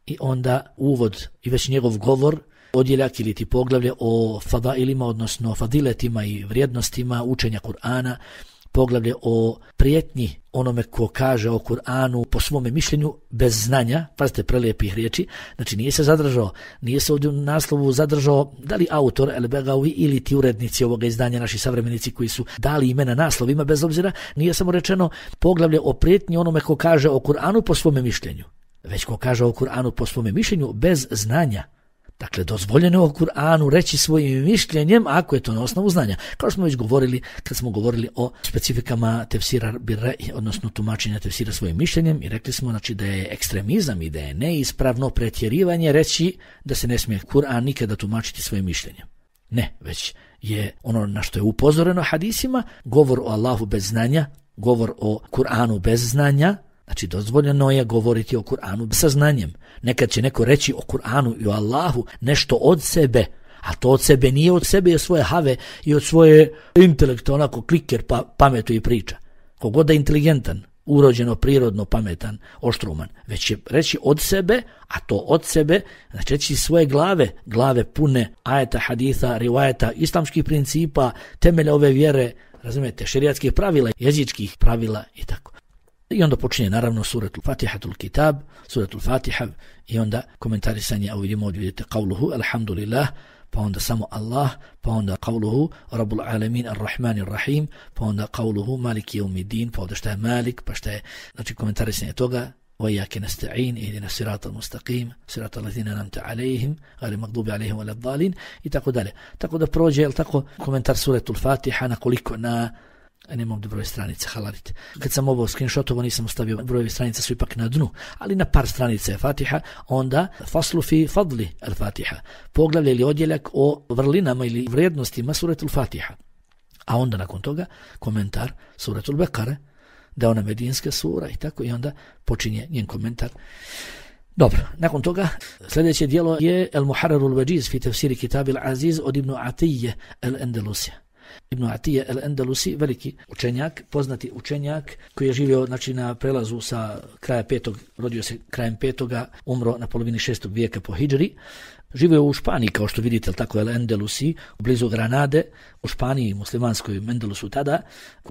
i onda uvod i već njegov govor, odjeljak ili ti poglavlje o fadailima, odnosno fadiletima i vrijednostima učenja Kur'ana, poglavlje o prijetnji onome ko kaže o Kur'anu po svome mišljenju bez znanja, pazite prelijepih riječi, znači nije se zadržao, nije se ovdje u naslovu zadržao da li autor El-Begavi ili ti urednici ovoga izdanja, naši savremenici koji su dali imena naslovima, bez obzira, nije samo rečeno poglavlje o prijetnji onome ko kaže o Kur'anu po svome mišljenju, već ko kaže o Kur'anu po svome mišljenju bez znanja. Dakle, dozvoljeno je o Kur'anu reći svojim mišljenjem ako je to na osnovu znanja. Kao smo već govorili kad smo govorili o specifikama tefsira birre, odnosno tumačenja tefsira svojim mišljenjem, i rekli smo znači da je ekstremizam i da je neispravno pretjerivanje reći da se ne smije Kur'an nikada tumačiti svojim mišljenjem. Ne, već je ono na što je upozoreno hadisima, govor o Allahu bez znanja, govor o Kur'anu bez znanja. Znači, dozvoljeno je govoriti o Kur'anu sa znanjem. Nekad će neko reći o Kur'anu i o Allahu nešto od sebe, a to od sebe nije od sebe, je svoje have i od svoje intelekta, onako kliker pa pametuje i priča. Kogod da je inteligentan, urođeno, prirodno, pametan, oštruman, već će reći od sebe, a to od sebe, znači reći svoje glave, glave pune ajeta, haditha, rivajeta, islamskih principa, temelja ove vjere, razumijete, šerijatskih pravila, jezičkih pravila i tako. I onda počinje naravno suratul Fatihatul Kitab, suratul Fatiha, i onda komentarisanje, a vidimo ovdje vidite qavluhu, alhamdulillah, pa onda samo Allah, pa onda qavluhu, Rabbul Alamin, Ar-Rahman, Ar-Rahim, pa onda qavluhu, Maliki Yawmiddin, pa onda šta je Malik, pa šta je, znači komentarisanje toga, وَيَّاكَ نَسْتَعِينَ اهْدِنَا الصِّرَاطَ الْمُسْتَقِيمَ صِرَاطَ الَّذِينَ أَنْعَمْتَ عَلَيْهِمْ غَيْرِ الْمَغْضُوبِ عَلَيْهِمْ وَلَا الضَّالِينَ i tako dalje. Tako da prođe, jel tako, komentar suratul Fatiha na koliko, na nemam ovdje broj stranica, halalit. Kad sam ovo screenshotovo nisam ostavio, brojevi stranica su ipak na dnu, ali na par stranica je Fatiha, onda faslu fi fadli al-Fatiha, poglavlje ili odjeljak o vrlinama ili vrijednostima suratul Fatiha. A onda nakon toga komentar suratul Bekare, da ona medinska sura i tako, i onda počinje njen komentar. Dobro, nakon toga sljedeće dijelo je El-Muharrarul Wajiz fi tafsiri Kitabil Aziz od Ibn Atije el-Endelusija. Ibn Atije el-Endelusi, veliki učenjak, poznati učenjak koji je živio znači, na prelazu sa kraja petog, rodio se krajem petoga, umro na polovini šestog vijeka po hidžri. Živio u Španiji, kao što vidite, tako el-Endelusi, blizu Granade, u Španiji, muslimanskoj Endelusu tada,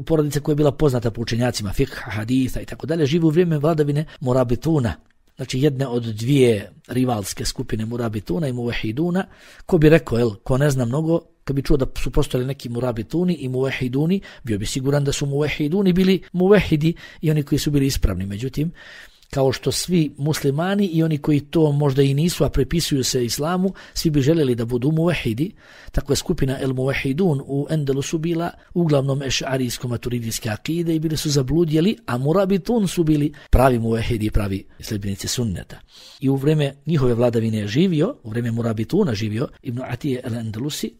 porodica koja je bila poznata po učenjacima fikha, haditha i tako dalje, živi u vrijeme vladavine Murabituna, znači jedne od dvije rivalske skupine Murabituna i Muvahiduna. Ko bi rekao, jel, ko ne zna mnogo, kad bi čuo da su postojali neki Murabituni i Muvahiduni, bio bi siguran da su Muvahiduni bili Muvahidi i oni koji su bili ispravni. Međutim, kao što svi muslimani i oni koji to možda i nisu, a prepisuju se islamu, svi bi željeli da budu muvahidi, tako je skupina El Muvahidun u Endelusu bila uglavnom ešarijsko-maturidijske akide i bili su zabludjeli, a Murabitun su bili pravi muvahidi, pravi sljedbenici sunneta. I u vrijeme njihove vladavine je živio, u vrijeme Murabituna živio Ibn Atije el-Endelusi.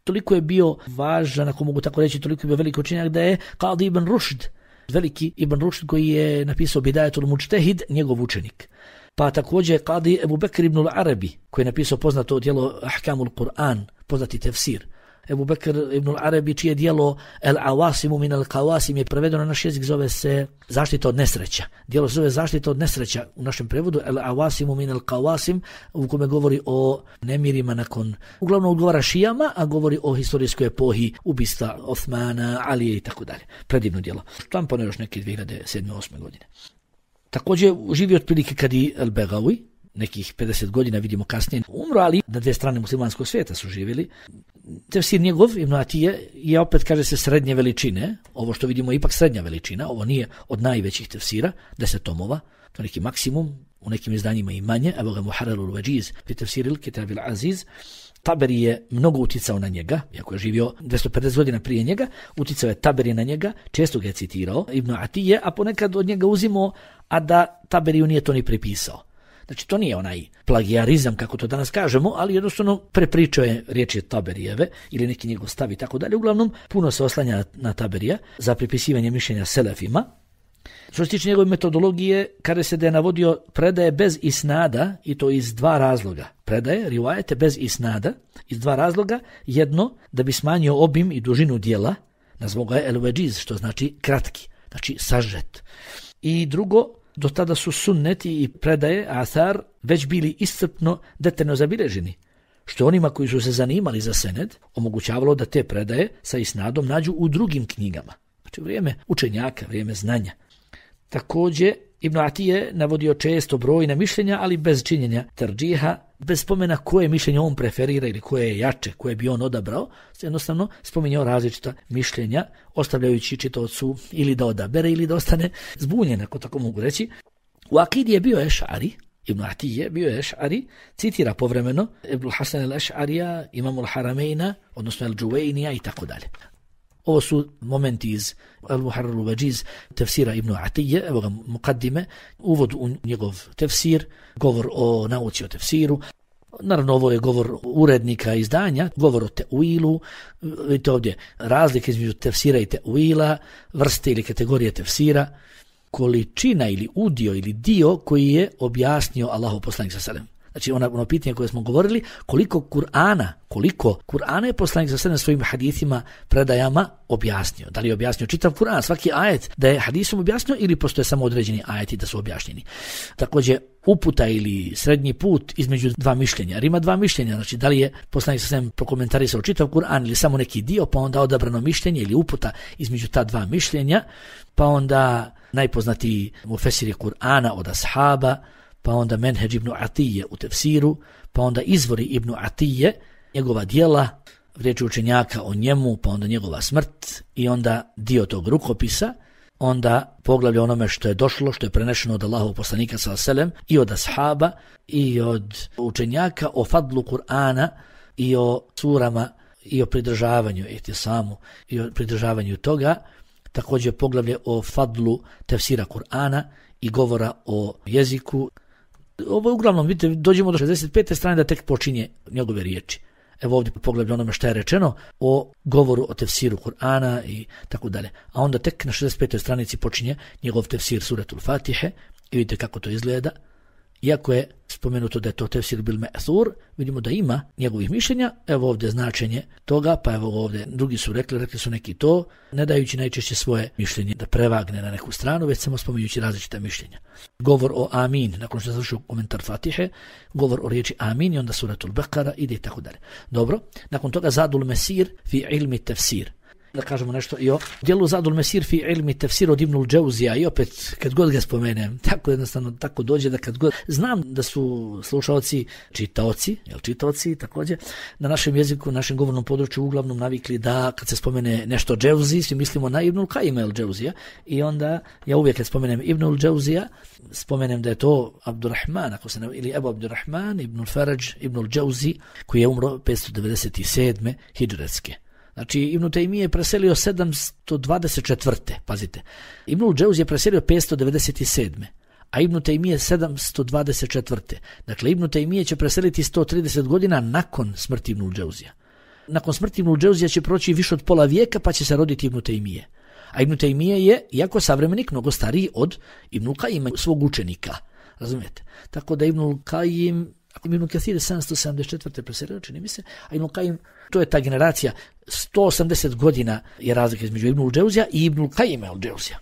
Toliko je bio važan, ako mogu tako reći, toliko je bio veliki učenjak da je Qadi ibn Rušd, veliki Ibn Rušd koji je napisao Bidajatul Mujtehid, njegov učenik. Pa također Qadi Ebu Bekr ibn al-Arabi koji je napisao poznato djelo Ahkamul Kur'an, poznati tefsir. Ebu Bekr ibn al-Arabi čije djelo El-Awasimu min al-Qawasim je prevedeno na naš jezik, zove se Zaštita od nesreća. Djelo se zove Zaštita od nesreća u našem prevodu, El-Awasimu min al-Qawasim, u kome govori o nemirima nakon, uglavnom odgovara šijama, a govori o historijskoj epohi ubistva Osmana, Alije i tako dalje. Predivno djelo. Štampano još neke dvije hiljade sedme osme godine. Također živio otprilike kad i El-Begawi, nekih pedeset godina, vidimo kasnije, umro, ali na dvije strane muslimanskog svijeta su živjeli. Tefsir njegov, Ibn Atije, je opet, kaže se, srednje veličine. Ovo što vidimo je ipak srednja veličina, ovo nije od najvećih tefsira, deset tomova, to je neki maksimum, u nekim izdanjima i manje. Evo ga Muharrarul Wajiz, fi tefsiril Kitabil Aziz. Taberi je mnogo uticao na njega, iako je živio dvjesto pedeset godina prije njega, uticao je Taberi na njega, često ga je citirao, Ibn Atije, a ponekad od njega uzimao, a da Taberiju nije to ni pripisao. Znači, to nije onaj plagijarizam, kako to danas kažemo, ali jednostavno prepričao je riječi Taberijeve ili neki njegov stav i tako dalje. Uglavnom, puno se oslanja na Taberija za pripisivanje mišljenja selefima. Što se tiče njegove metodologije, kada se da je navodio predaje bez isnada, i to iz dva razloga. Predaje, rivajete bez isnada, iz dva razloga. Jedno, da bi smanjio obim i dužinu dijela, nazvao ga je el-Wajiz, što znači kratki, znači sažet. I drugo, do tada su sunneti i predaje, athar, već bili iscrpno detaljno zabilježeni, što onima koji su se zanimali za sened omogućavalo da te predaje sa isnadom nađu u drugim knjigama. Znači vrijeme učenjaka, vrijeme znanja. Također, Ibn Atije navodio često brojna mišljenja, ali bez činjenja tarđiha, bez spomena koje mišljenje on preferira ili koje je jače, koje bi on odabrao, jednostavno spominjao različita mišljenja, ostavljajući čitaocu ili da odabere ili da ostane zbunjen, ako tako mogu reći. U akidi je bio Eš'ari, Ibn Atije bio je Eš'ari, citira povremeno Ibn Hasan al-Eš'arija, Imam al-Harameina, odnosno al-Džuvejnija i tako dalje. Ovo su momenti iz Al-Muharrarul Wajiz tefsira Ibn Atije, evo ga mukaddime, uvod u njegov tefsir, govor o nauci o tefsiru. Naravno, ovo je govor urednika izdanja, govor o teuilu, vidite ovdje razlike između tefsira i teuila, vrste ili kategorije tefsira, količina ili udio ili dio koji je objasnio Allahov poslanik sallallahu alejhi ve sellem. Znači ono, ono pitanje koje smo govorili, koliko Kur'ana, koliko Kur'ana je poslanik sa sve svojim hadithima, predajama objasnio. Da li je objasnio čitav Kur'an, svaki ajet da je hadisom objasnio ili postoje samo određeni ajeti da su objašnjeni. Također uputa ili srednji put između dva mišljenja. Jer ima dva mišljenja, znači da li je poslanik sa sve prokomentarisao čitav Kur'an ili samo neki dio, pa onda odabrano mišljenje ili uputa između ta dva mišljenja, pa onda najpoznatiji mufesiri Kur'ana od ashaba, pa onda Menheđ Ibn Atije u tefsiru, pa onda izvori Ibn Atije, njegova djela, riječi učenjaka o njemu, pa onda njegova smrt i onda dio tog rukopisa, onda poglavlje onome što je došlo, što je prenešeno od Allahovog poslanika sallallahu alejhi ve sellem i od ashaba i od učenjaka o fadlu Kur'ana i o surama i o pridržavanju ihtisamu i o pridržavanju toga. Također poglavlje o fadlu tefsira Kur'ana i govora o jeziku. Ovo je uglavnom, vidite, dođemo do šezdeset pete strane da tek počinje njegove riječi. Evo ovdje poglavlje onome što je rečeno o govoru o tefsiru Kur'ana i tako dalje. A onda tek na šezdeset petoj stranici počinje njegov tefsir suretul Fatihe i vidite kako to izgleda. Iako je spomenuto da je to tefsir bil me'thur, vidimo da ima njegovih mišljenja. Evo ovdje značenje toga, pa evo ovdje drugi su rekli, rekli su neki to, ne dajući najčešće svoje mišljenje da prevagne na neku stranu, već samo spominjući različita mišljenja. Govor o amin, nakon što je završio komentar Fatihe, govor o riječi amin i onda suratul Bekara ide i tako dalje. Dobro, nakon toga Zadul Mesir fi ilmi tefsir. Da kažemo nešto i o dijelu Zadul Mesir fi ilmi tefsir od Ibnul Džauzija i opet kad god ga spomenem, tako jednostavno tako dođe da kad god, znam da su slušaoci čitaoci, jel čitaoci također, na našem jeziku, našem govornom području uglavnom navikli da kad se spomene nešto Džauzi, svi mislimo na Ibnul Kajima el Džauzija i onda ja uvijek kad spomenem Ibnul Džauzija, spomenem da je to Abdurrahman, ako se ne, ili Ebu Abdurrahman, Ibnul Farađ, Ibnul Džauzi, koji je umro petsto devedeset sedme hidžretske. Znači, Ibn Tejmije je preselio sedamsto dvadeset četvrte Pazite, Ibnul Džauzi je preselio petsto devedeset sedme a Ibn Tejmije sedamsto dvadeset četvrte Dakle, Ibn Tejmije će preseliti sto trideset godina nakon smrti Ibnul Džauzija. Nakon smrti Ibnul Džauzija će proći više od pola vijeka, pa će se roditi Ibn Tejmije. A Ibn Tejmije je, iako savremenik, mnogo stariji od Ibnul Kajima, svog učenika. Razumijete? Tako da Ibnul Kajim, ako Ibn Kathir je sedamsto sedamdeset četvrte preselio, čini mi se, a Ibnul Kajim, to je ta generacija, sto osamdeset godina je razlika između Ibnul Džauzija i Ibnul Kajima el Džauzija.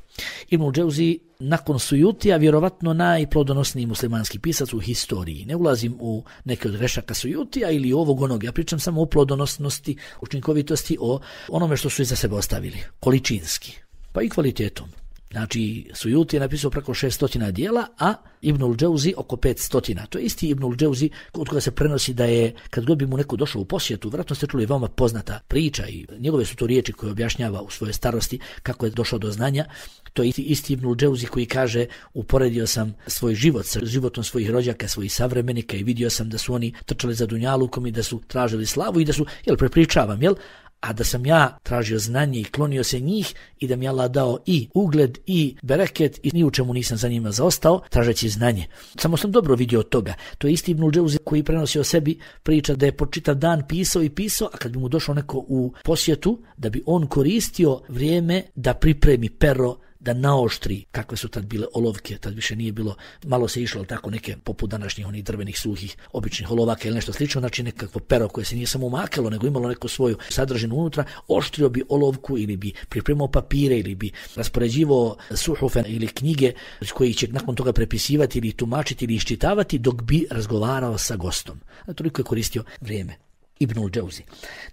Ibnul Džauzi nakon Sujutija vjerovatno najplodonosniji muslimanski pisac u historiji. Ne ulazim u neke od grešaka Sujutija ili ovog onog, ja pričam samo o plodonosnosti, učinkovitosti, o onome što su iza sebe ostavili, količinski, pa i kvalitetom. Znači, Sujuti je napisao preko šestotina dijela, a Ibnul Džauzi oko petstotina. To je isti Ibnul Džauzi od koga se prenosi da je, kad god bi mu neko došao u posjetu, vjerojatno ste čuli veoma poznata priča i njegove su to riječi koje objašnjava u svojoj starosti kako je došao do znanja. To je isti, isti Ibnul Džauzi koji kaže, uporedio sam svoj život sa životom svojih rođaka, svojih savremenika i vidio sam da su oni trčali za dunjalukom i da su tražili slavu i da su, jel, prepričavam, jel, a da sam ja tražio znanje i klonio se njih i da mi Allah dao i ugled i bereket i ni u čemu nisam za njima zaostao tražeći znanje. Samo sam dobro vidio od toga. To je isti Ibnul Džauzi koji prenosi o sebi priča da je po čitav dan pisao i pisao, a kad bi mu došao neko u posjetu, da bi on koristio vrijeme da pripremi pero, da naoštri, kakve su tad bile olovke, tad više nije bilo, malo se išlo tako neke poput današnjih onih drvenih suhih običnih olovaka ili nešto slično, znači nekakvo pero koje se nije samo umakalo, nego imalo neku svoju sadržinu unutra, oštrio bi olovku ili bi pripremao papire ili bi raspoređivao suhufe ili knjige koji će nakon toga prepisivati ili tumačiti ili iščitavati dok bi razgovarao sa gostom. A toliko je koristio vrijeme. Ibnul Džauzi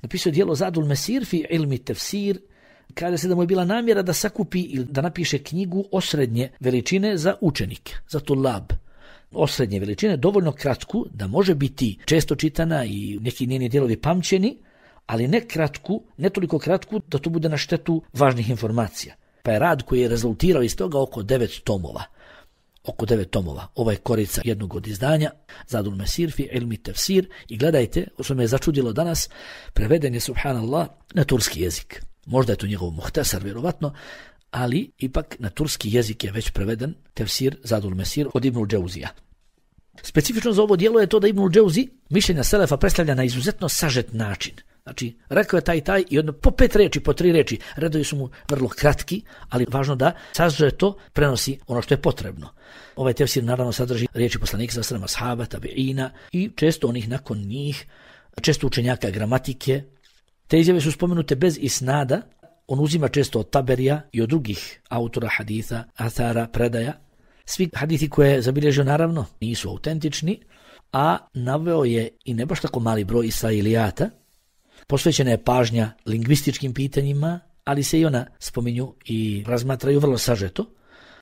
napisao djelo Zadul Mesir fi ilmi tefsir. Kaže se da mu je bila namjera da sakupi ili da napiše knjigu osrednje veličine za učenike, za tulab. Osrednje veličine, dovoljno kratku, da može biti često čitana i neki njeni dijelovi pamćeni, ali ne kratku, ne toliko kratku da to bude na štetu važnih informacija. Pa je rad koji je rezultirao iz toga oko devet tomova. Oko devet tomova. Ova je korica jednog od izdanja, Zadul Mesir fi ilmi tefsir, i gledajte, što me je začudilo danas, preveden je, subhanallah, na turski jezik. Možda je to njegov muhtasar, vjerovatno, ali ipak na turski jezik je već preveden tefsir Zadul Mesir od Ibnul Džauzija. Specifično za ovo dijelo je to da Ibnul Džauzi mišljenja selefa predstavlja na izuzetno sažet način. Znači, rekao je taj taj i odno po pet reči, po tri reči, redovi su mu vrlo kratki, ali važno da sažeto prenosi ono što je potrebno. Ovaj tefsir naravno sadrži riječi poslanika sallallahu alejhi ve sellem, ashaba, tabiina i često onih nakon njih, često učenjaka gramatike. Te izjave su spomenute bez isnada, on uzima često od Taberija i od drugih autora haditha, athara, predaja. Svi hadithi koje je zabilježio naravno nisu autentični, a naveo je i ne baš tako mali broj israilijata. Posvećena je pažnja lingvističkim pitanjima, ali se i ona spominju i razmatraju vrlo sažeto.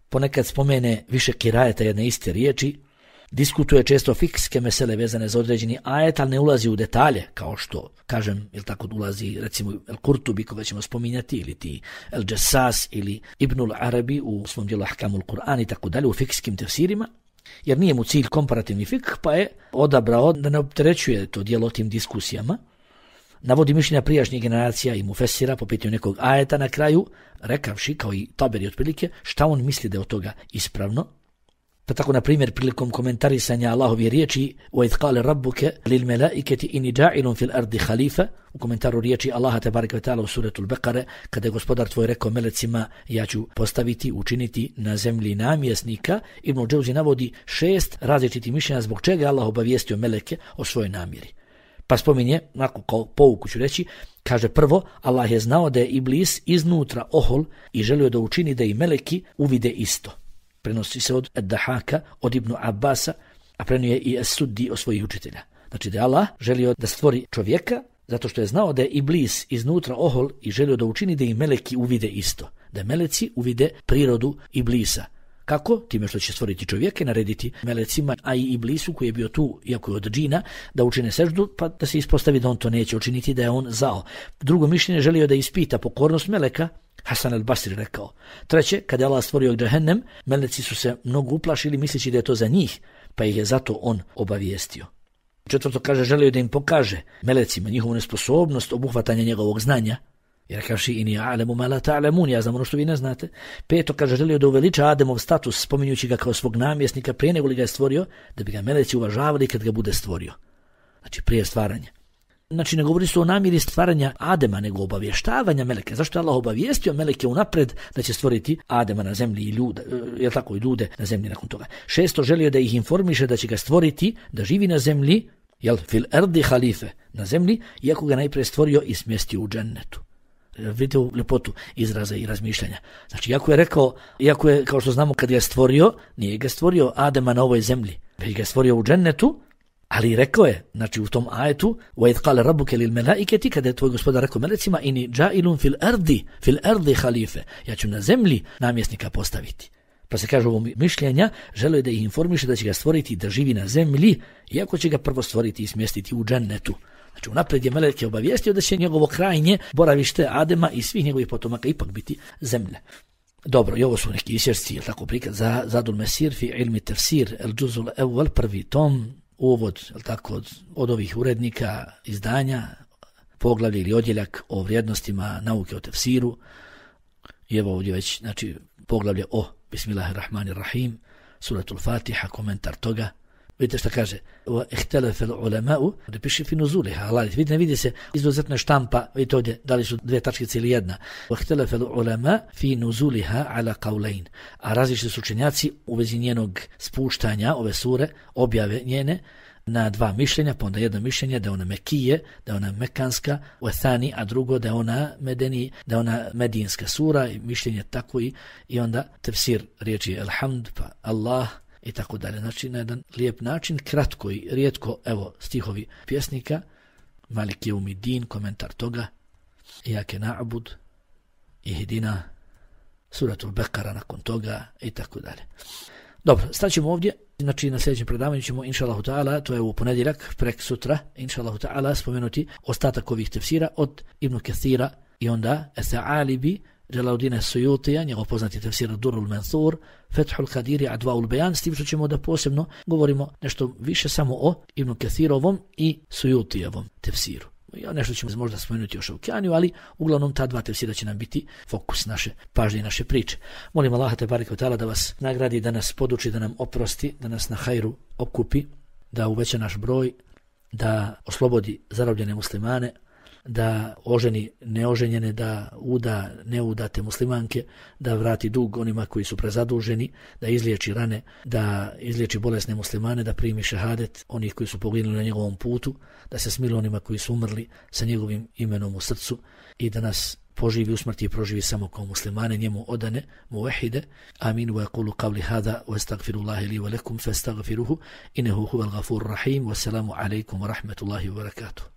Ponekad spomene više kirajeta jedne iste riječi, diskutuje često fikske mesele vezane za određeni ajet, ali ne ulazi u detalje, kao što, kažem, ili tako ulazi recimo El Kurtubi, koga ćemo spominjati, ili ti El Jassas ili Ibnul Arabi u svom dijelu Ahkamul Kur'an i tako dalje, u fikskim tefsirima, jer nije mu cilj komparativni fik, pa je odabrao da ne opterećuje to dijelo tim diskusijama. Navodi mišljenja prijašnjih generacija i mufesira po pitanju nekog ajeta na kraju, rekavši, kao i Taberi otprilike, šta on misli da je od toga ispravno. Pa tako, na primjer, prilikom komentarisanja Allahove riječi وَإِذْ قَالَ رَبُّكَ لِلْمَلَائِكَةِ إِنِّي جَاعِلٌ فِي الْأَرْضِ خَلِيفَةً, u komentaru riječi Allaha tebareke ve taala u suretul Bekare, kada je gospodar tvoj rekao melecima, ja ću postaviti, učiniti na zemlji namjesnika, Ibnul Džauzi navodi šest različitih mišljenja zbog čega je Allah obavijestio meleke o svojoj namjeri. Pa spominje, nakon kao pouku ću reći, kaže prvo, Allah je znao da je Iblis iznutra ohol i želio da učini da i meleki uvide isto. Prenosi se od Ad-Dahaka, od Ibnu Abbasa, a prenio i Es-Suddi od svojih učitelja. Znači da je Allah želio da stvori čovjeka zato što je znao da je Iblis iznutra ohol i želio da učini da i meleki uvide isto. Da meleci uvide prirodu Iblisa. Kako? Time što će stvoriti čovjeka i narediti melecima, a i Iblisu koji je bio tu, iako je od džina, da učine seždu, pa da se ispostavi da on to neće učiniti, da je on zao. Drugo mišljenje želio da ispita pokornost meleka, Hasan al-Basri rekao. Treće, kada je Allah stvorio džehennem, meleci su se mnogo uplašili misleći da je to za njih, pa ih je zato on obavijestio. Četvrto, kaže, želio da im pokaže melecima njihovu nesposobnost obuhvatanja njegovog znanja, jer kažu ini a'lamu ma la ta'lamun, ja znam ono što vi ne znate. Peto, kaže, želio da uveliča Ademov status, spominjući ga kao svog namjesnika prije nego li ga je stvorio, da bi ga meleci uvažavali kad ga bude stvorio. Znači prije stvaranja. Znači ne govori se o namjeri stvaranja Adema, nego obavještavanja meleke. Zašto je Allah obavijestio meleke unapred da će stvoriti Adema na zemlji i ljude, je tako, i ljude na zemlji nakon toga. Šesto, želio da ih informiše da će ga stvoriti, da živi na zemlji, jel, fil ardi halife, na zemlji, iako ga najprije stvorio i smjestio u džennetu. Vidite u ljepotu izraza i razmišljanja. Znači, iako je rekao, iako je, kao što znamo, kad ga je stvorio, nije ga stvorio Adema na ovoj zemlji, već ga je stvorio u džennetu, Ali rekao je, znači u tom ajetu, وَإِذْ قَالَ رَبُّكَ لِلْمَلَائِكَةِ, kada je tvoj gospodar rekao melecima, ini džailun fil ardi, fil ardi halife, ja ću na zemlji namjesnika postaviti. Pa se kaže ovo mišljenja, želio je da ih informiše da će ga stvoriti i da živi na zemlji, iako će ga prvo stvoriti i smjestiti u džennetu. Znači unaprijed je meleke obavijestio da će njegovo krajnje boravište Adema i svih njegovih potomaka ipak biti zemlja. Dobro, i ovo su neki isječci, je tako prikaz, za Zadul Mesir fi ilmi tefsir, el džuzul evvel, prvi tom, uvod, je tako, od, od ovih urednika izdanja, poglavlje ili odjeljak o vrijednostima nauke o tefsiru. I evo ovdje već, znači, poglavlje o Bismillahirrahmanirrahim, suratul Fatiha, komentar toga. Vidite šta kaže, اختلف العلماء, da piše fi nuzuliha, ali vidite, vidi se izuzetna štampa, vidite ovdje, da li su dvije tačkice ili jedna. اختلف العلماء fi nuzuliha ala qawlain, a različiti su učenjaci u vezi njenog spuštanja ove sure, objave njene, na dva mišljenja, pa onda jedno mišljenje da je ona Mekije, da je ona Mekanska, u Ethani, a drugo da je ona Medeni, da je ona Medinska sura, i mišljenje tako i, i onda tefsir riječi Alhamd, pa Allah, i tako dalje. Znači na jedan lijep način, kratko i rijetko, evo stihovi pjesnika, Malik Jeumidin, komentar toga, Iyake na'bud, Ihdina, suratul Bekara nakon toga i tako dalje. Dobro, staćemo ovdje, znači na sljedećem predavanju ćemo, inša Allahu ta'ala, to je u ponedjeljak, prek sutra, inša Allahu ta'ala, spomenuti ostatak ovih tefsira od Ibn Kathira i onda Etha'alibi, Jalaluddina Suyutija, njegov poznati tefsir Durrul Mansur, Fethul Kadiri, Advaul Bejan, s tim što ćemo da posebno govorimo nešto više samo o Ibn Kathirovom i Suyutijevom tefsiru. Ja nešto ćemo možda spomenuti o Šaukjaniju, ali uglavnom ta dva tefsira će nam biti fokus naše pažnje i naše priče. Molim Allaha te bareke ve taala da vas nagradi, da nas poduči, da nam oprosti, da nas na hajru okupi, da uveća naš broj, da oslobodi zarobljene muslimane, da oženi neoženjene, da uda neudate muslimanke, da vrati dug onima koji su prezaduženi, da izliječi rane, da izliječi bolesne muslimane, da primi šehadet onih koji su poginuli na njegovom putu, da se smili onima koji su umrli sa njegovim imenom u srcu i da nas poživi u smrti i proživi samo kao muslimane, njemu odane, muvahide. Amin, wa yaqulu qavli hada, wa astagfirullahi li wa lakum, fa astagfiruhu, innehu huval gafur rahim, wa salamu alaikum wa rahmatullahi wa barakatuh.